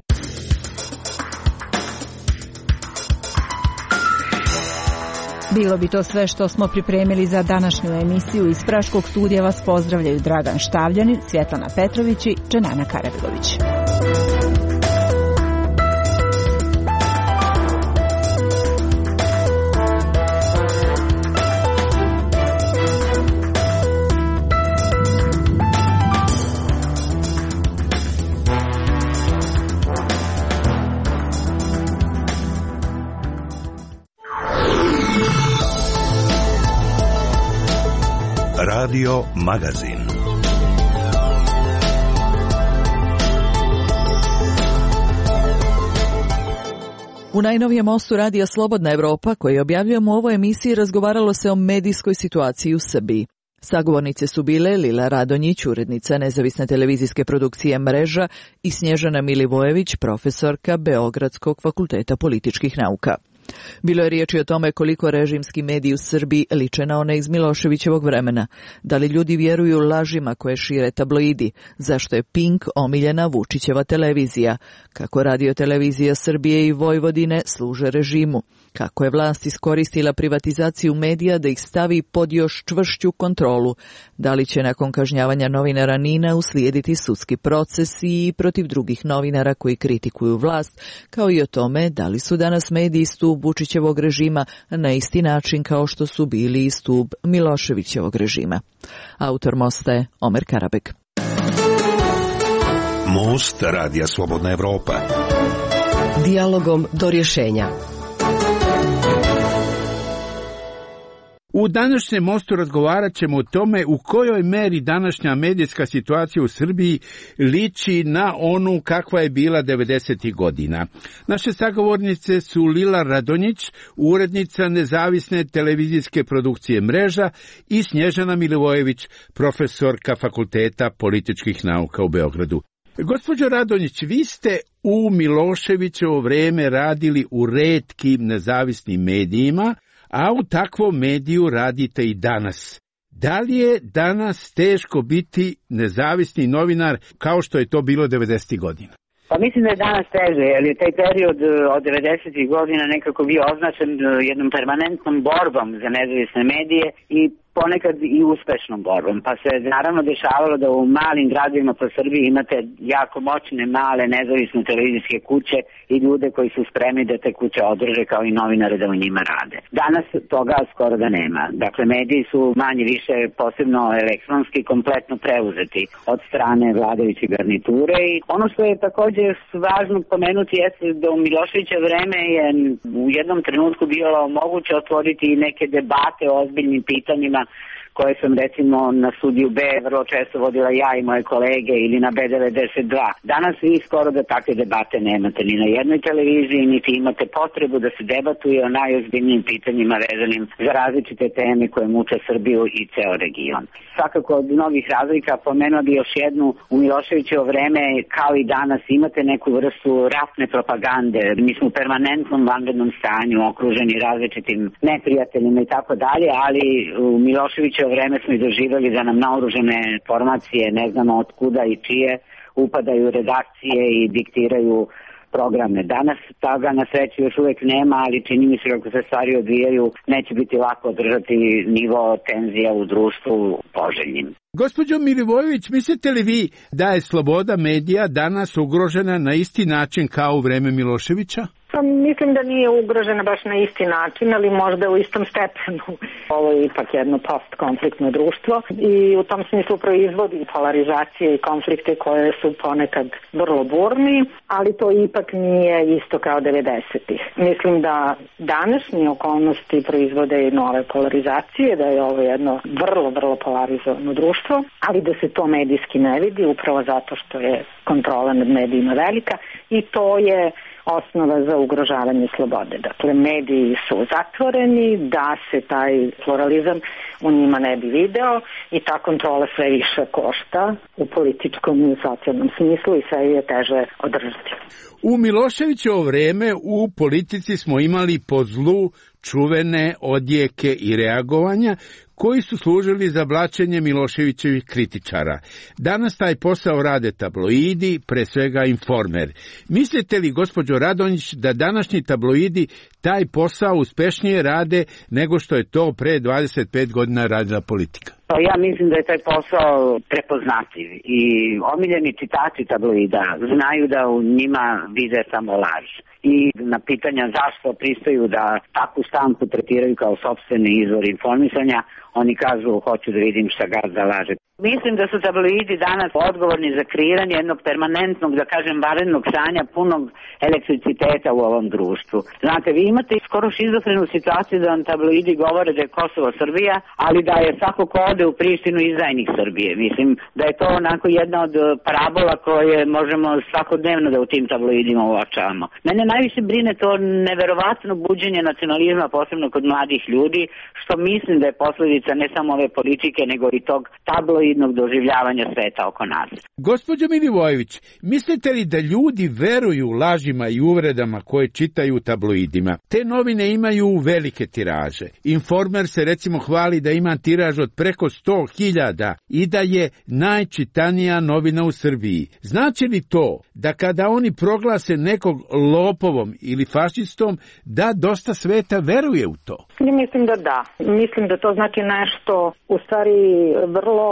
Bilo bi to sve što smo pripremili za današnju emisiju. Iz Praškog studija vas pozdravljaju Dragan Štavljanin, Svjetlana Petrović i Dženana Karabegović.
Radio Magazin.
U najnovijem mostu Radija Slobodna Evropa, koji objavljujemo u ovoj emisiji, razgovaralo se o medijskoj situaciji u Srbiji. Sagovornice su bile Lila Radonjić, urednica nezavisne televizijske produkcije Mreža, i Snježana Milivojević, profesorka Beogradskog fakulteta političkih nauka. Bilo je riječi o tome koliko režimski mediji u Srbiji liče na one iz Miloševićevog vremena. Da li ljudi vjeruju lažima koje šire tabloidi? Zašto je Pink omiljena Vučićeva televizija? Kako Radio televizija Srbije i Vojvodine služe režimu? Kako je vlast iskoristila privatizaciju medija da ih stavi pod još čvršću kontrolu? Da li će nakon kažnjavanja novinara Nina uslijediti sudski proces i protiv drugih novinara koji kritikuju vlast, kao i o tome da li su danas mediji stup Vučićevog režima na isti način kao što su bili i stup Miloševićevog režima. Autor mosta je Omer Karabek.
Most Radija Slobodna Evropa.
Dijalogom do rješenja.
U današnjem mostu razgovarat ćemo o tome u kojoj meri današnja medijska situacija u Srbiji liči na onu kakva je bila devedesetih godina. Naše sagovornice su Lila Radonjić, urednica nezavisne televizijske produkcije Mreža, i Snježana Milivojević, profesorka Fakulteta političkih nauka u Beogradu. Gospođo Radonjić, vi ste u Miloševićevo vrijeme radili u retkim nezavisnim medijima, a u takvom mediju radite i danas. Da li je danas teško biti nezavisni novinar kao što je to bilo devedesetih godina?
Pa mislim da je danas teže, jer je taj period od devedesetih godina nekako bio označen jednom permanentnom borbom za nezavisne medije i ponekad i uspešnom borbom. Pa se naravno dešavalo da u malim gradovima po Srbiji imate jako moćne, male, nezavisne televizijske kuće i ljude koji su spremni da te kuće održe kao i novinare da u njima rade. Danas toga skoro da nema. Dakle, mediji su manje više, posebno elektronski, kompletno preuzeti od strane vladajuće garniture. I ono što je također važno pomenuti jeste da u Miloševićevo vreme je u jednom trenutku bilo moguće otvoriti neke debate o ozbiljnim pitanjima koje sam recimo na Studiju B vrlo često vodila ja i moje kolege ili na B devedeset dva. Danas vi skoro da takve debate nemate ni na jednoj televiziji, niti imate potrebu da se debatuje o najozbiljnijim pitanjima vezanim za različite teme koje muče Srbiju i ceo region. Svakako od mnogih razlika pomenuo bi još jednu. U Miloševićevo vreme, kao i danas, imate neku vrstu ratne propagande. Mi smo u permanentnom vanrednom stanju, okruženi različitim neprijateljima i tako dalje, ali u Miloševićevo vreme smo i doživjeli da nam naoružane formacije, ne znamo od kuda i čije, upadaju redakcije i diktiraju programe. Danas toga na sreću još uvijek nema, ali čini mi se kako se stvari odvijaju, neće biti lako održati nivo tenzija u društvu poželjnim.
Gospođo Milivojević, mislite li vi da je sloboda medija danas ugrožena na isti način kao u vreme Miloševića?
Pa mislim da nije ugrožena baš na isti način, ali možda u istom stepenu. Ovo je ipak jedno postkonfliktno društvo i u tom smislu proizvodi polarizacije i konflikte koje su ponekad vrlo burni, ali to ipak nije isto kao devedesetih. Mislim da današnje okolnosti proizvode nove polarizacije, da je ovo jedno vrlo, vrlo polarizovano društvo, ali da se to medijski ne vidi upravo zato što je kontrola nad medijima velika i to je osnova za ugrožavanje slobode. Dakle, mediji su zatvoreni, da se taj pluralizam u njima ne bi video i ta kontrola sve više košta u političkom i socijalnom smislu i sve je teže održati.
U Miloševićevo vreme u politici smo imali po zlu čuvene odjeke i reagovanja koji su služili za blaćenje Miloševićevih kritičara. Danas taj posao rade tabloidi, pre svega Informer. Mislite li, gospođo Radonjić, da današnji tabloidi taj posao uspešnije rade nego što je to pre dvadeset pet godina radila politika?
Ja mislim da je taj posao prepoznatljiv i omiljeni čitači tabloida znaju da u njima vide samo laž. I na pitanja zašto pristaju da takvu štampu tretiraju kao sopstveni izvor informisanja, oni kažu hoću da vidim šta gazda laže. Mislim da su tabloidi danas odgovorni za kreiranje jednog permanentnog, da kažem, vanrednog stanja punog elektriciteta u ovom društvu. Znate, vi imate skoro šizofrenu situaciju da vam tabloidi govore da je Kosovo Srbija, ali da je svako ko ode u Prištinu izdajnik Srbije. Mislim da je to onako jedna od parabola koje možemo svakodnevno da u tim tabloidima uočavamo. Mene najviše brine to neverovatno buđenje nacionalizma, posebno kod mladih ljudi, što mislim da je posljedica ne samo ove politike, nego i tog tabloidnog doživljavanja sveta oko nas.
Gospođo Milivojević, mislite li da ljudi veruju lažima i uvredama koje čitaju u tabloidima? Te novine imaju velike tiraže. Informer se recimo hvali da ima tiraž od preko sto hiljada i da je najčitanija novina u Srbiji. Znači li to da kada oni proglase nekog lopovom ili fašistom, da dosta sveta veruje u to?
Ja mislim da da. Mislim da to znači nešto u stvari vrlo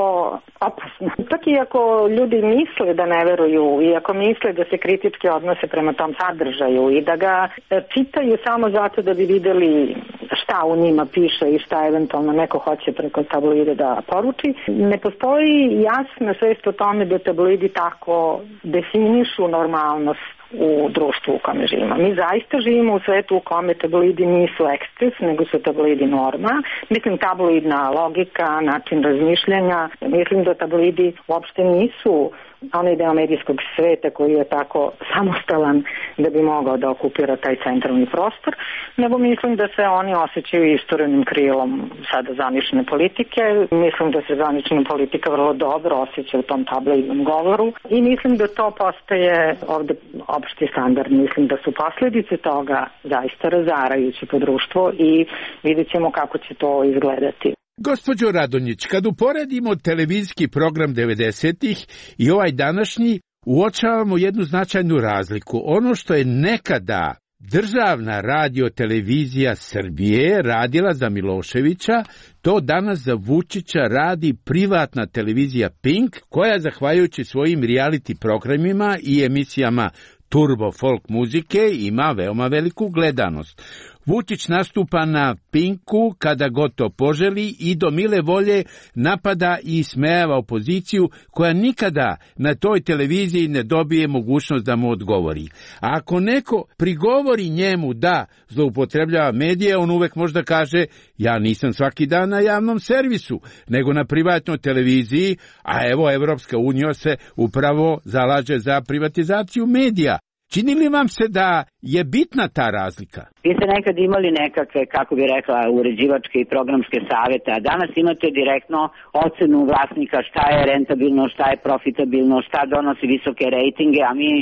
opasno. Čak i ako ljudi misle da ne veruju i ako misle da se kritički odnose prema tom sadržaju i da ga čitaju samo zato da bi videli šta u njima piše i šta eventualno neko hoće preko tabloide da poruči, ne postoji jasna svest o tome da tabloidi tako definišu normalnost u društvu u kome živimo. Mi zaista živimo u svetu u kome tabloidi nisu eksces, nego su tabloidi norma. Mislim, tabloidna logika, način razmišljanja. Mislim da tabloidi uopšte nisu onaj deo medijskog sveta koji je tako samostalan da bi mogao da okupira taj centralni prostor, nego mislim da se oni osjećaju isturenim krilom sada zvanične politike. Mislim da se zvanična politika vrlo dobro osjeća u tom tabloidnom govoru i mislim da to postaje ovde opšti standard. Mislim da su posljedice toga zaista razarajuće po društvo i vidjet ćemo kako će to izgledati.
Gospođo Radonjić, kad uporedimo televizijski program devedesetih i ovaj današnji, uočavamo jednu značajnu razliku. Ono što je nekada državna radiotelevizija Srbije radila za Miloševića, to danas za Vučića radi privatna televizija Pink, koja zahvaljujući svojim reality programima i emisijama turbo folk muzike ima veoma veliku gledanost. Vučić nastupa na Pinku kada god to poželi i do mile volje napada i ismejava opoziciju koja nikada na toj televiziji ne dobije mogućnost da mu odgovori. A ako neko prigovori njemu da zloupotrebljava medije, on uvek možda kaže ja nisam svaki dan na javnom servisu, nego na privatnoj televiziji, a evo Evropska unija se upravo zalaže za privatizaciju medija. Čini li vam se da je bitna ta razlika?
Vi ste nekad imali nekakve, kako bi rekla, uređivačke i programske savete, a danas imate direktno ocenu vlasnika šta je rentabilno, šta je profitabilno, šta donosi visoke rejtinge, a mi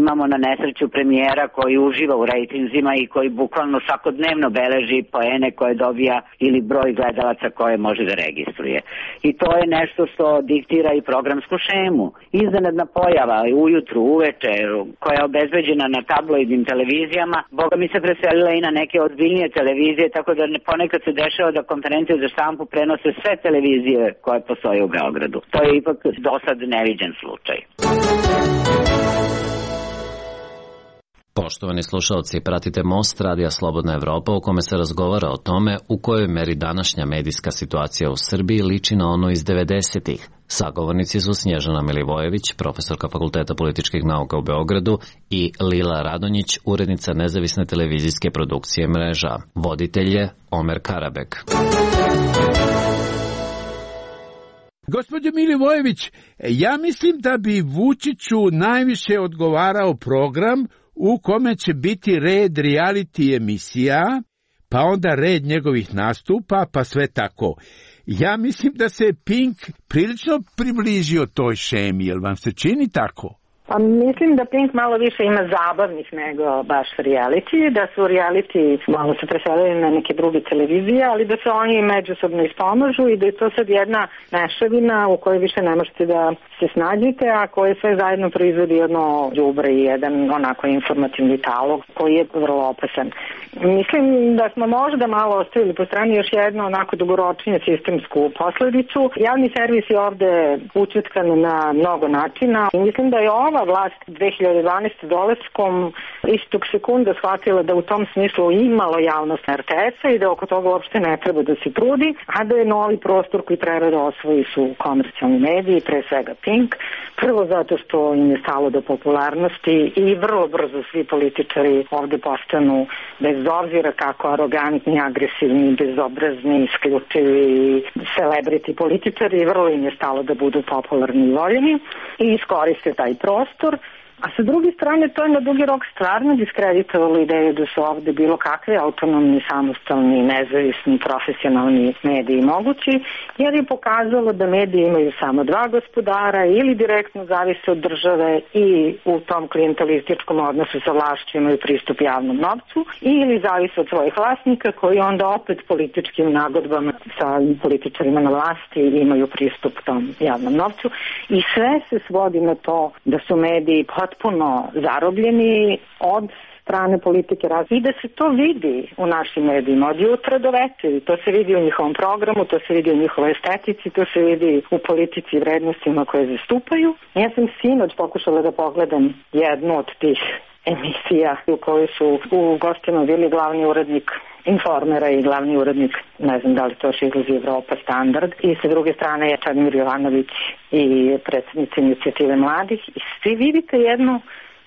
imamo na nesreću premijera koji uživa u rejtinzima i koji bukvalno svakodnevno beleži poene koje dobija ili broj gledalaca koje može da registruje. I to je nešto što diktira i programsku šemu. Iznenadna pojava ujutru, uveče, koja je obezbeđena na tabloidnim televizijama, boga mi se preselila i na neke ozbiljnije televizije, tako da ponekad se dešava da konferencije za štampu prenose sve televizije koje postoje u Beogradu. To je ipak do sad neviđen slučaj.
Poštovani slušalci, pratite Most Radija Slobodna Evropa u kome se razgovara o tome u kojoj meri današnja medijska situacija u Srbiji liči na ono iz devedesetih. Sagovornici su Snježana Milivojević, profesorka Fakulteta političkih nauka u Beogradu, i Lila Radonjić, urednica nezavisne televizijske produkcije Mreža. Voditelj je Omer Karabek.
Gospođo Milivojević, ja mislim da bi Vučiću najviše odgovarao program u kome će biti red reality emisija, pa onda red njegovih nastupa, pa sve tako. Ja mislim da se Pink prilično približio toj šemi, jel vam se čini tako?
Pa mislim da Pink malo više ima zabavnih nego baš reality, da su reality malo se preselili na neke druge televizije, ali da se oni međusobno ispomažu i da je to sad jedna mešavina u kojoj više ne možete da se snađite, a koje sve zajedno proizvodi jedno đubre i jedan onako informativni talog koji je vrlo opasan. Mislim da smo možda malo ostavili po strani još jednu onako dugoročniju sistemsku posledicu. Javni servis je ovde učetkan na mnogo načina i mislim da je ova vlast dve hiljade dvanaeste. dolaskom istog sekunda shvatila da u tom smislu imalo javnost R T S-a i da oko toga uopšte ne treba da se trudi, a da je novi prostor koji treba da osvoji su komercijalni mediji, pre svega Pink. Prvo zato što im je stalo do popularnosti i vrlo brzo svi političari ovde postanu, bez obzira kako arogantni, agresivni, bezobrazni, isključivi celebrity političari, vrlo im je stalo da budu popularni i voljeni i iskoriste taj prostor. A sa druge strane, to je na dugi rok stvarno diskreditovalo ideju da su ovde bilo kakve autonomni, samostalni, nezavisni, profesionalni mediji mogući, jer je pokazalo da mediji imaju samo dva gospodara ili direktno zavise od države i u tom klijentelističkom odnosu sa vlašću imaju pristup javnom novcu ili zavise od svojih vlasnika koji onda opet političkim nagodbama sa političarima na vlasti imaju pristup tom javnom novcu i sve se svodi na to da su mediji potpuno zarobljeni od strane politike i da se to vidi u našim medijima od jutra do večeri. To se vidi u njihovom programu, to se vidi u njihovoj estetici, to se vidi u politici i vrednostima koje zastupaju. Ja sam sinoć pokušala da pogledam jednu od tih emisija u kojoj su u gostima bili glavni urednik Informera i glavni urednik, ne znam da li to još izlazi Evropa Standard, i sa druge strane je Čadmir Jovanović i predsjednica inicijative mladih i svi vidite jednu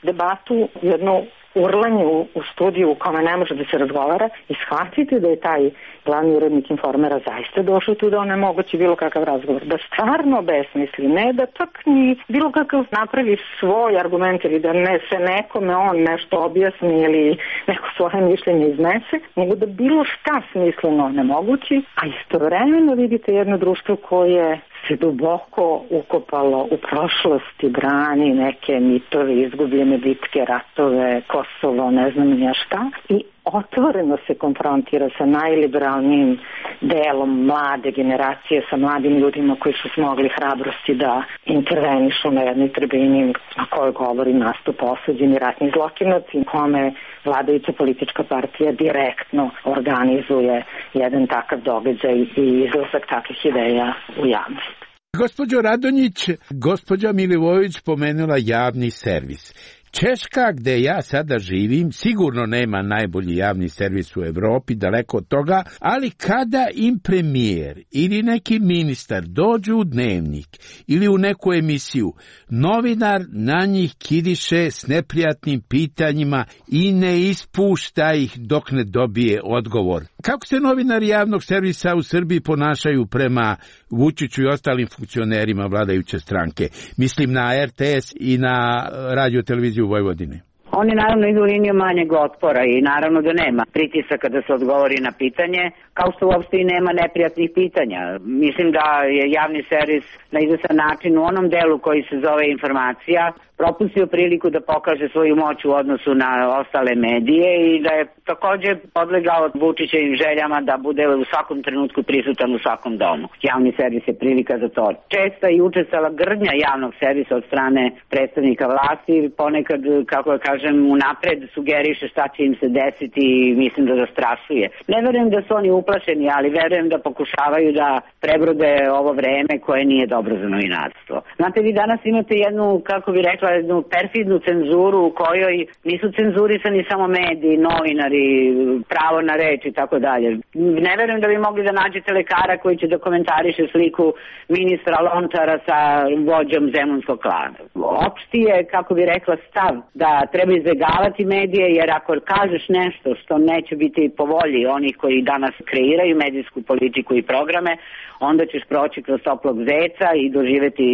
debatu, jednu urlanje u, u studiju u kome ne može da se razgovara i shvatite da je taj glavni urednik Informera zaista došao tu da onemogući bilo kakav razgovor, da stvarno besmisli, ne da čak ni bilo kakav napravi svoj argument ili da ne se nekome on nešto objasni ili neko svoje mišljenje iznese, nego da bilo šta smisleno onemogući, a istovremeno vidite jedno društvo koje se duboko ukopalo u prošlosti, brani neke mitove, izgubljene bitke, ratove, Kosovo, ne znam nija šta, i otvoreno se konfrontira sa najliberalnijim delom mlade generacije, sa mladim ljudima koji su smogli hrabrosti da intervenišu na jednoj tribini na kojoj govori nastup osuđeni ratni zločinaci, kome vladajuća politička partija direktno organizuje jedan takav događaj i izlazak takvih ideja u javnost.
Gospođo Radonjić, gospođa Milivojević pomenula javni servis. Češka, gde ja sada živim, sigurno nema najbolji javni servis u Evropi, daleko od toga, ali kada im premijer ili neki ministar dođu u dnevnik ili u neku emisiju, novinar na njih kiriše s neprijatnim pitanjima i ne ispušta ih dok ne dobije odgovor. Kako se novinari javnog servisa u Srbiji ponašaju prema Vučiću i ostalim funkcionerima vladajuće stranke? Mislim na R T S i na radio televiziju u Vojvodini.
Oni naravno idu liniju manjeg otpora i naravno da nema pritisaka da se odgovori na pitanje, kao što uopšte i nema neprijatnih pitanja. Mislim da je javni servis na izvestan način u onom delu koji se zove informacija propustio priliku da pokaže svoju moć u odnosu na ostale medije i da je također podlegao Vučićevim željama da bude u svakom trenutku prisutan u svakom domu. Javni servis je prilika za to. Česta i učestala grdnja javnog servisa od strane predstavnika vlasti, ponekad, kako ja kažem, unapred sugeriše šta će im se desiti i mislim da zastrašuje. Ne verujem da su oni uplašeni, ali verujem da pokušavaju da prebrode ovo vreme koje nije dobro za novinarstvo. Znate, vi danas imate jednu, kako bi rekla, jednu perfidnu cenzuru u kojoj nisu cenzurisani samo mediji, novinari, pravo na reč i tako dalje. Ne verujem da bi mogli da nađete lekara koji će da komentariše sliku ministra Lončara sa vođom zemunskog klana. Opšti je, kako bi rekla, stav da treba izbjegavati medije, jer ako kažeš nešto što neće biti po volji onih koji danas kreiraju medijsku politiku i programe, onda ćeš proći kroz toplog zeca i doživjeti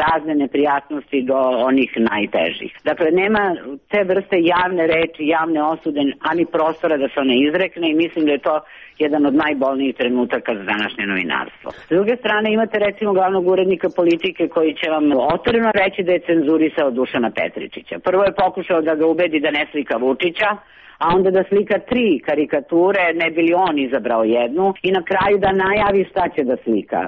razne neprijatnosti do onih najtežih. Dakle, nema te vrste javne reči, javne osude, ani prostora da se one izrekne i mislim da je to jedan od najbolnijih trenutaka za današnje novinarstvo. S druge strane imate recimo glavnog urednika politike koji će vam otvoreno reći da je cenzurisao Dušana Petričića. Prvo je pokušao da ga ubedi da ne slika Vučića, a onda da slika tri karikature, ne bi li on izabrao jednu i na kraju da najavi šta će da slika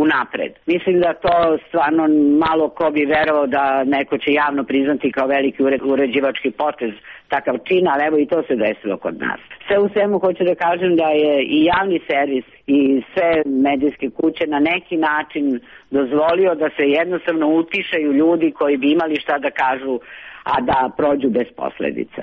unapred. Mislim da to stvarno malo ko bi verovao da neko će javno priznati kao veliki uređivački potez takav čin, ali evo i to se desilo kod nas. Sve u svemu hoću da kažem da je i javni servis i sve medijske kuće na neki način dozvolio da se jednostavno utišaju ljudi koji bi imali šta da kažu, a da prođu bez posledica.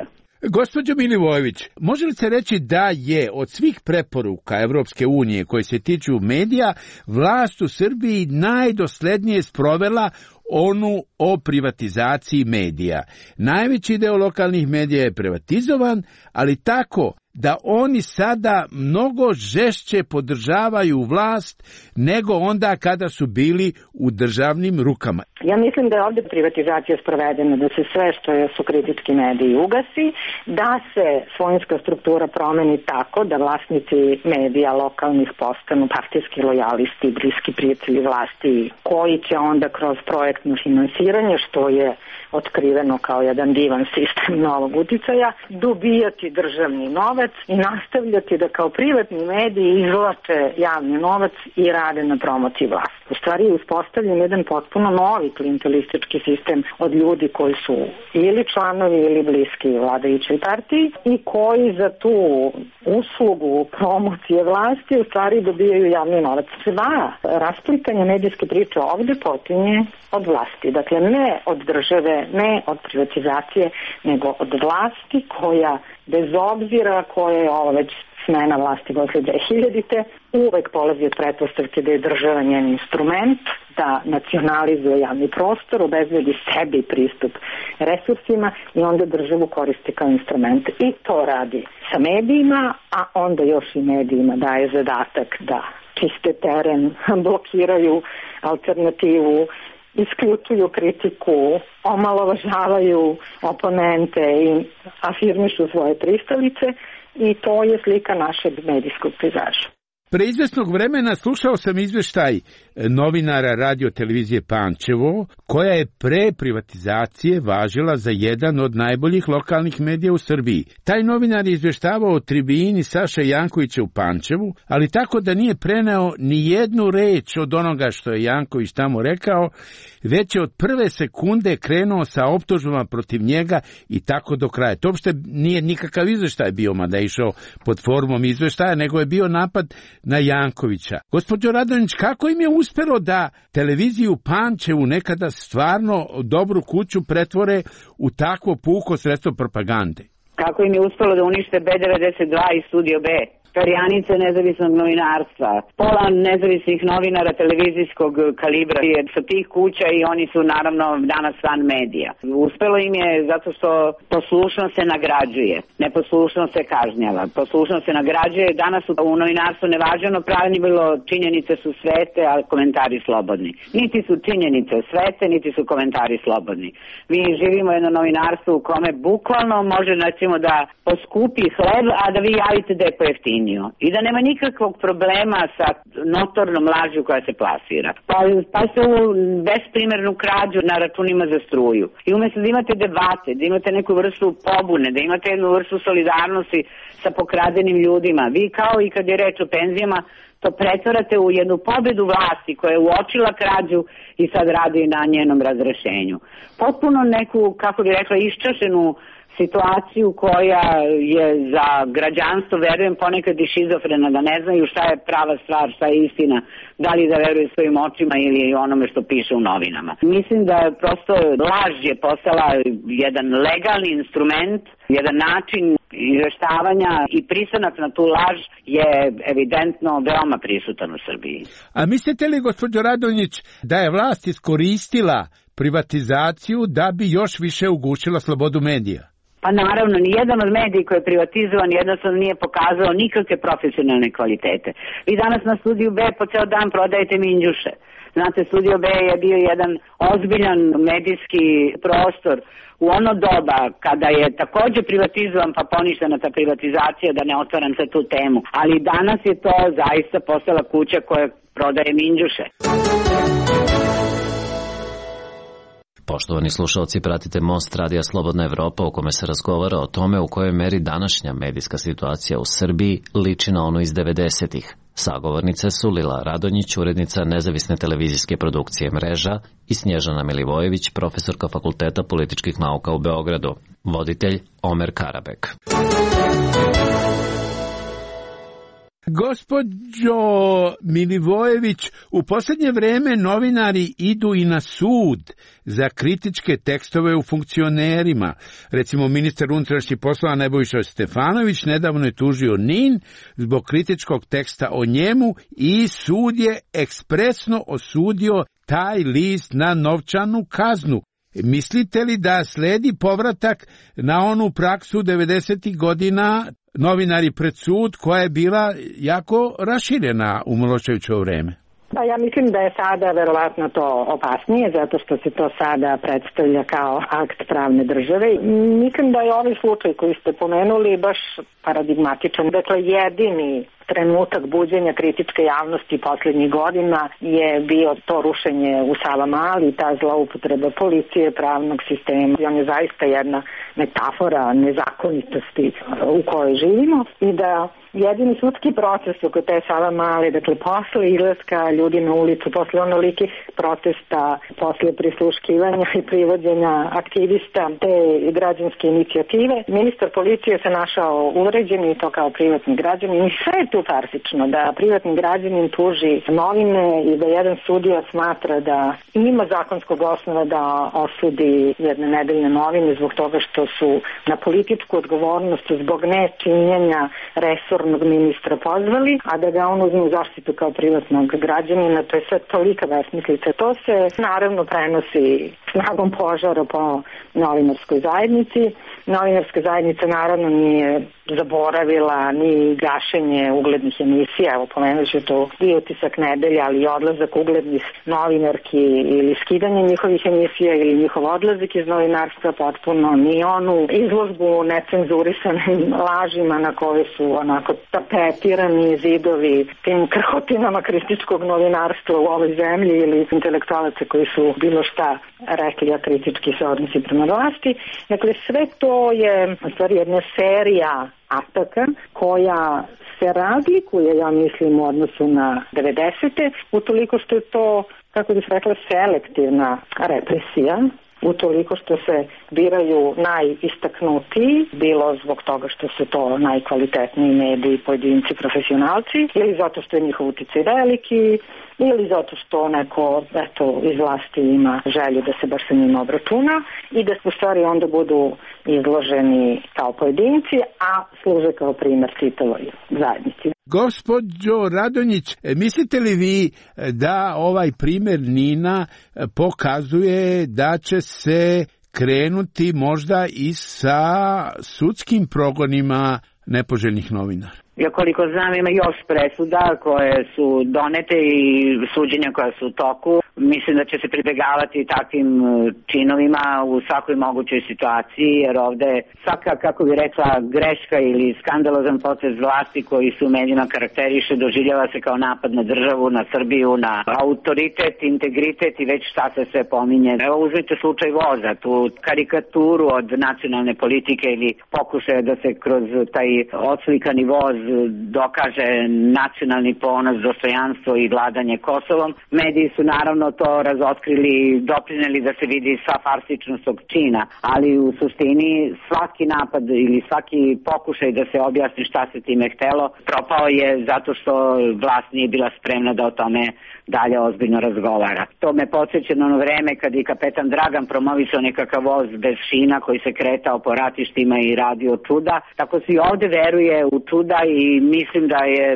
Gospođo Milivojević, može li se reći da je od svih preporuka Evropske unije koje se tiču medija, vlast u Srbiji najdoslednije sprovela onu o privatizaciji medija? Najveći deo lokalnih medija je privatizovan, ali tako da oni sada mnogo žešće podržavaju vlast nego onda kada su bili u državnim rukama.
Ja mislim da je ovdje privatizacija sprovedena, da se sve što su kritički mediji ugasi, da se svojinska struktura promeni tako da vlasnici medija lokalnih postanu partijski lojalisti, bliski prijatelji vlasti, koji će onda kroz projektno finansiranje, što je otkriveno kao jedan divan sistem novog uticaja, dobijati državni novac i nastavljati da kao privatni mediji izvlače javni novac i rade na promociji vlasti. U stvari je uspostavljen jedan potpuno novi klijentelistički sistem od ljudi koji su ili članovi ili bliski vladajućoj partiji i koji za tu uslugu promocije vlasti u stvari dobijaju javni novac. Sva rasplikanja medijske priče ovdje počinje od vlasti. Dakle, ne od države, ne od privatizacije, nego od vlasti koja, bez obzira koja je ovo već smena vlasti posle dve hiljadite, uvek polazi od pretpostavke da je država njen instrument, da nacionalizuje javni prostor, obezbedi sebi pristup resursima i onda državu koristi kao instrument. I to radi sa medijima, a onda još i medijima daje zadatak da čiste teren, blokiraju alternativu, isključuju kritiku, omalovažavaju oponente i afirmišu svoje pristalice i to je slika našeg medijskog pejzaža.
Pre izvesnog vremena slušao sam izveštaj novinara radio televizije Pančevo, koja je pre privatizacije važila za jedan od najboljih lokalnih medija u Srbiji. Taj novinar je izveštavao o tribini Saše Jankovića u Pančevu, ali tako da nije preneo ni jednu reč od onoga što je Janković tamo rekao, već je od prve sekunde krenuo sa optužbama protiv njega i tako do kraja. To uopšte nije nikakav izveštaj bio, mada je išao pod formom izveštaja, nego je bio napad na Jankovića. Gospođo Radonjić, kako im je uspelo da televiziju Pančevu, nekada stvarno dobru kuću, pretvore u takvo puko sredstvo propagande?
Kako im je uspelo da unište B devedeset dva i Studio B? Perjanice nezavisnog novinarstva, pola nezavisnih novinara televizijskog kalibra je sa tih kuća i oni su naravno danas van medija. Uspelo im je zato što poslušnost se nagrađuje, neposlušnost se kažnjava. Poslušnost se nagrađuje, danas u novinarstvu nevažno pravilo, činjenice su svete, a komentari slobodni. Niti su činjenice svete, niti su komentari slobodni. Mi živimo jedno novinarstvo u kome bukvalno može recimo da poskupi hleb, a da vi javite da je pojeftinije. I da nema nikakvog problema sa notornom lažju koja se plasira. Pa, pa se u besprimernu krađu na računima za struju. I umjesto da imate debate, da imate neku vrstu pobune, da imate jednu vrstu solidarnosti sa pokradenim ljudima, vi kao i kad je reč o penzijama, to pretvarate u jednu pobedu vlasti koja je uočila krađu i sad radi na njenom razrešenju. Potpuno neku, kako bi rekla, iščašenu situaciju koja je za građanstvo, verujem, ponekad i šizofrena, da ne znaju šta je prava stvar, šta je istina, da li da veruju svojim očima ili onome što piše u novinama. Mislim da prosto laž je postala jedan legalni instrument, jedan način izveštavanja i pristanak na tu laž je evidentno veoma prisutan u Srbiji.
A mislite li, gospođo Radonjić, da je vlast iskoristila privatizaciju da bi još više ugušila slobodu medija?
Pa naravno, nijedan od medija koji je privatizovan jednostavno nije pokazao nikakve profesionalne kvalitete. Vi danas na Studiju B po ceo dan prodajete minđuše. Znate, Studio B je bio jedan ozbiljan medijski prostor u ono doba kada je takođe privatizovan pa poništena ta privatizacija, da ne otvaram sa tu temu. Ali danas je to zaista postala kuća koja prodaje minđuše.
Poštovani slušalci, pratite Most Radija Slobodna Evropa u kome se razgovara o tome u kojoj meri današnja medijska situacija u Srbiji liči na ono iz devedesetih. Sagovornice su Lila Radonjić, urednica nezavisne televizijske produkcije Mreža, i Snježana Milivojević, profesorka Fakulteta političkih nauka u Beogradu. Voditelj Omer Karabek.
Gospođo Milivojević, u posljednje vreme novinari idu i na sud za kritičke tekstove u funkcionerima. Recimo, ministar unutrašnjih poslova Nebojša Stefanović nedavno je tužio N I N zbog kritičkog teksta o njemu i sud je ekspresno osudio taj list na novčanu kaznu. Mislite li da sledi povratak na onu praksu devedesetih godina, novinari pred sud, koja je bila jako raširena u Miloševićevo vreme?
Pa ja mislim da je sada verovatno to opasnije, zato što se to sada predstavlja kao akt pravne države. Mislim da je ovaj slučaj koji ste pomenuli baš paradigmatičan. Dakle, jedini trenutak buđenja kritičke javnosti posljednjih godina je bio to rušenje u Savamali, ta zloupotreba policije, pravnog sistema. I on je zaista jedna metafora nezakonitosti u kojoj živimo i da jedini sudski proces oko te Savamale, dakle posle izlaska ljudi na ulicu, posle onolikih protesta, posle prisluškivanja i privođenja aktivista te građanske inicijative, ministar policije se našao uvređen i to kao privatni građanin. I sve je tu farsično, da privatni građanin tuži novine i da jedan sudija smatra da ima zakonskog osnova da osudi jedne nedeljne novine zbog toga što su na političku odgovornost zbog nečinjenja resornog ministra pozvali, a da ga on uzme u zaštitu kao privatnog građanina. To je sve tolika besmislica. To se naravno prenosi snagom požara po novinarskoj zajednici. Novinarska zajednica naravno nije zaboravila ni gašenje uglednih emisija. Evo, pomenut ću to i Utisak nedelje, ali i odlazak uglednih novinarki ili skidanje njihovih emisija ili njihov odlazak iz novinarstva potpuno, ni onu izložbu necenzurisanim lažima na koje su onako tapetirani zidovi tim krhotinama kritičkog novinarstva u ovoj zemlji ili intelektualaca koji su bilo šta rekli, a kritički se odnosi prema vlasti. Dakle, sve to je u stvari jedna serija ataka koja se razlikuje, ja mislim, u odnosu na devedesete, utoliko što je to, kako bih rekla, selektivna represija, utoliko što se biraju najistaknutiji, bilo zbog toga što su to najkvalitetniji mediji, pojedinci, profesionalci, ili zato što je njihov uticaj veliki, ili zato što neko, eto, iz vlasti ima želju da se baš sa njima obračuna i da u stvari onda budu izloženi kao pojedinci, a služe kao primer čitavoj zajednici.
Gospođo Radonjić, mislite li vi da ovaj primjer Nina pokazuje da će se krenuti možda i sa sudskim progonima nepoželjnih novinara?
Ja koliko znam ima još presuda koje su donete i suđenja koja su u toku. Mislim da će se pribegavati takvim činovima u svakoj mogućoj situaciji, jer ovde svaka, kako bi rekla, greška ili skandalozan potez vlasti koji su u medijima karakteriše doživljava se kao napad na državu, na Srbiju, na autoritet, integritet i već šta se sve pominje. Evo, uzmite slučaj voza, tu karikaturu od nacionalne politike ili pokušaja da se kroz taj odslikani voz dokaže nacionalni ponos, dostojanstvo i vladanje Kosovom. Mediji su naravno to razotkrili i doprineli da se vidi sva farsičnost tog čina, ali u suštini svaki napad ili svaki pokušaj da se objasni šta se time htelo propao je zato što vlast nije bila spremna da o tome dalje ozbiljno razgovara. To me podsjeća na ono vreme kad je kapetan Dragan promovisao nekakav voz bez šina koji se kretao po ratištima i radio čuda. Tako se i ovde veruje u čuda i mislim da je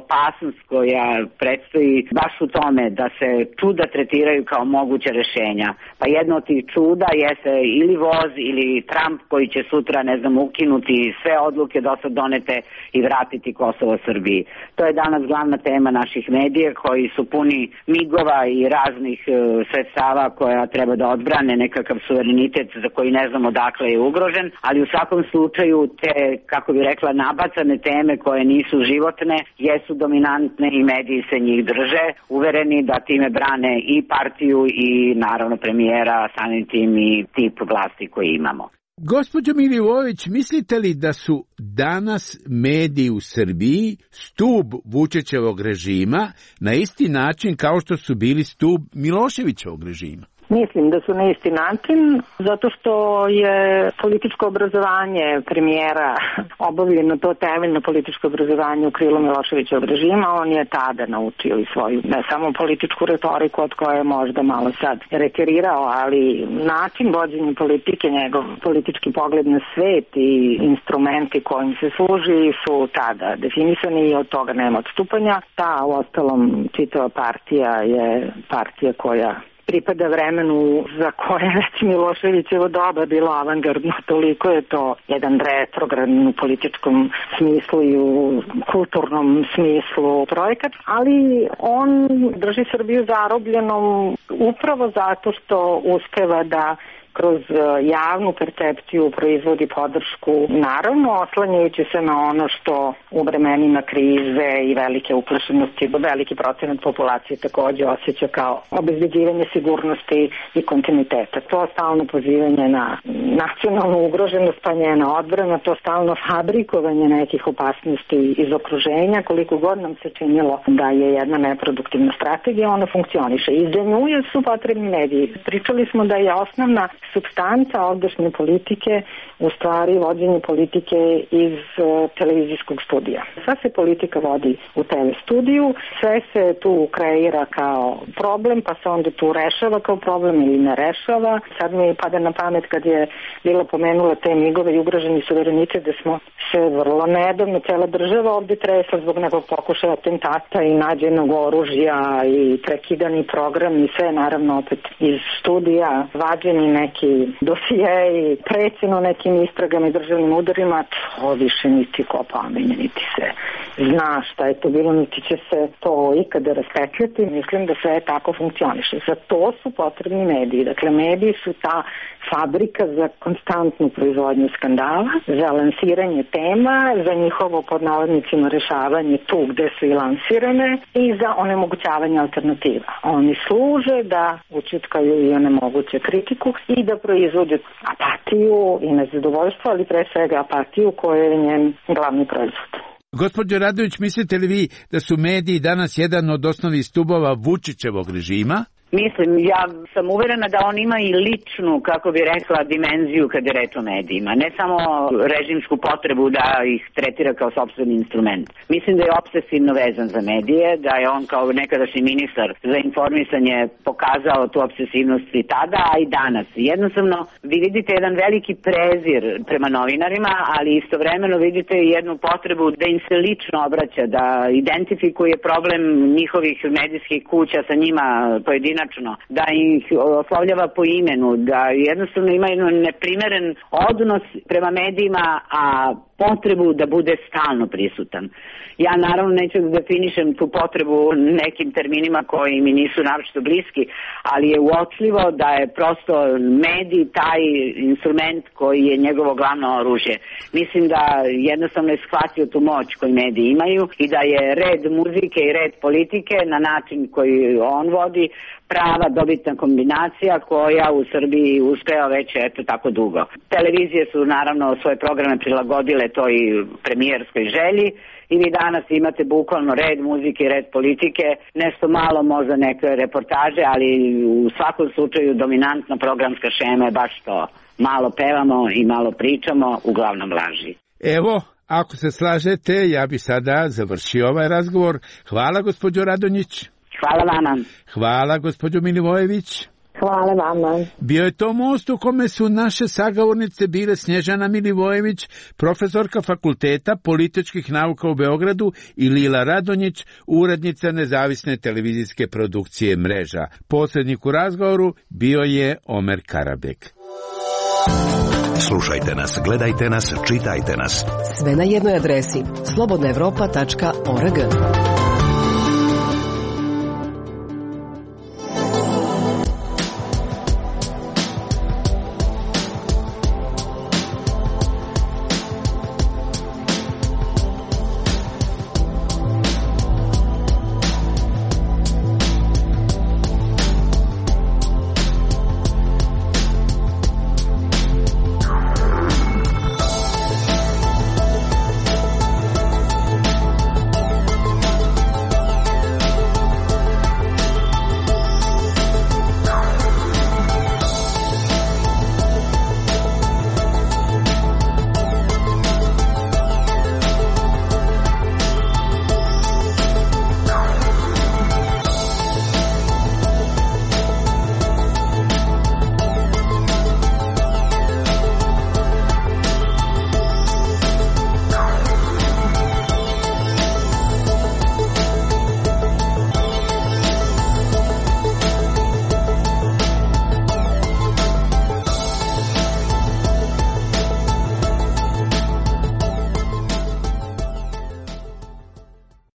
opasnost koja predstoji baš u tome da se čuda čuda tretiraju kao moguće rešenja. Pa jedno od tih čuda jeste ili voz ili Trump koji će sutra, ne znam, ukinuti sve odluke do sad donete i vratiti Kosovo Srbiji. To je danas glavna tema naših medija koji su puni migova i raznih uh, sredstava koja treba da odbrane nekakav suverenitet za koji ne znamo dakle je ugrožen, ali u svakom slučaju te, kako bi rekla, nabacane teme koje nisu životne, jesu dominantne i mediji se njih drže, uvereni da time brane i partiju i naravno premijera, samim tim i tip vlasti koji imamo.
Gospođo Milivojević, mislite li da su danas mediji u Srbiji stub Vučićevog režima na isti način kao što su bili stub Miloševićevog režima?
Mislim da su na isti način, zato što je političko obrazovanje premijera obavljeno, to temeljno političko obrazovanje u krilu Miloševićevog režima. On je tada naučio i svoju, ne samo političku retoriku od koje je možda malo sad reterirao, ali način vođenja politike, njegov politički pogled na svet i instrumenti kojim se služi su tada definisani i od toga nema odstupanja. Ta, u ostalom, čitava partija je partija koja pripada vremenu za koje već Miloševićevo doba bilo avangardno, toliko je to jedan retrogradni u političkom smislu i u kulturnom smislu projekat, ali on drži Srbiju zarobljenom upravo zato što uspeva da kroz javnu percepciju proizvodi podršku, naravno oslanjajući se na ono što u vremenima krize i velike uplašenosti veliki procenat populacije takođe osjeća kao obezbeđivanje sigurnosti i kontinuiteta. To stalno pozivanje na nacionalnu ugroženost, pa njena odbrana, to stalno fabrikovanje nekih opasnosti iz okruženja, koliko god nam se činilo da je jedna neproduktivna strategija, ona funkcioniše. I za nju su potrebni mediji. Pričali smo da je osnovna supstanca ovdašnje politike u stvari vođenje politike iz uh, televizijskog studija. Sva se politika vodi u te ve studiju, sve se tu kreira kao problem, pa se onda tu rešava kao problem ili ne rešava. Sad mi pada na pamet kad je bila pomenula te migove i ugroženi suverenitet da smo se vrlo nedavno, cela država ovde tresla zbog nekog pokušaja atentata i nađenog oružja i prekidani program i sve naravno opet iz studija, vađeni neki dosije i prećeno nekim istragama i državnim udarima, to više niti ko pomenje, niti se zna šta je to bilo, niti će se to ikada raspetljati. Mislim da sve tako funkcioniše. Za to su potrebni mediji. Dakle, mediji su ta fabrika za konstantnu proizvodnju skandala, za lansiranje tema, za njihovo pod navodnicima rešavanje tu gde su i lansirane i za onemogućavanje alternativa. Oni služe da učutkaju i onemoguće kritiku i da proizvode apatiju i nezadovoljstvo, ali pre svega apatiju koja je njen glavni proizvod.
Gospođo Radović, mislite li vi da su mediji danas jedan od osnovnih stubova Vučićevog režima?
Mislim, ja sam uverena da on ima i ličnu, kako bi rekla, dimenziju kada je reč o medijima. Ne samo režimsku potrebu da ih tretira kao sopstveni instrument. Mislim da je obsesivno vezan za medije, da je on kao nekadašnji ministar za informisanje pokazao tu obsesivnost i tada, a i danas. Jednostavno, vi vidite jedan veliki prezir prema novinarima, ali istovremeno vidite i jednu potrebu da im se lično obraća, da identifikuje problem njihovih medijskih kuća sa njima pojedinačno, da ih oslovljava po imenu, da jednostavno ima jedan neprimeren odnos prema medijima, a potrebu da bude stalno prisutan. Ja naravno neću da definišem tu potrebu nekim terminima koji mi nisu naročito bliski, ali je uočljivo da je prosto medij taj instrument koji je njegovo glavno oružje. Mislim da jednostavno je shvatio tu moć koju mediji imaju i da je red muzike i red politike na način koji on vodi prava dobitna kombinacija koja u Srbiji uspeva već eto tako dugo. Televizije su naravno svoje programe prilagodile toj premijerskoj želji i vi danas imate bukvalno red muzike i red politike, nešto malo možda neke reportaže, ali u svakom slučaju dominantna programska šema je baš to. Malo pevamo i malo pričamo, uglavnom laži.
Evo, ako se slažete, ja bi sada završio ovaj razgovor. Hvala gospođo Radonjić.
Hvala vama.
Hvala gospođo Milivojević.
Hvala vama.
Bio je to most u kome su naše sagovornice bile Snježana Milivojević, profesorka Fakulteta političkih nauka u Beogradu, i Lila Radonjić, urednica nezavisne televizijske produkcije Mreža. Posrednik u razgovoru bio je Omer Karabek.
Slušajte nas, gledajte nas, čitajte nas.
Sve na jednoj adresi slobodna evropa tačka org.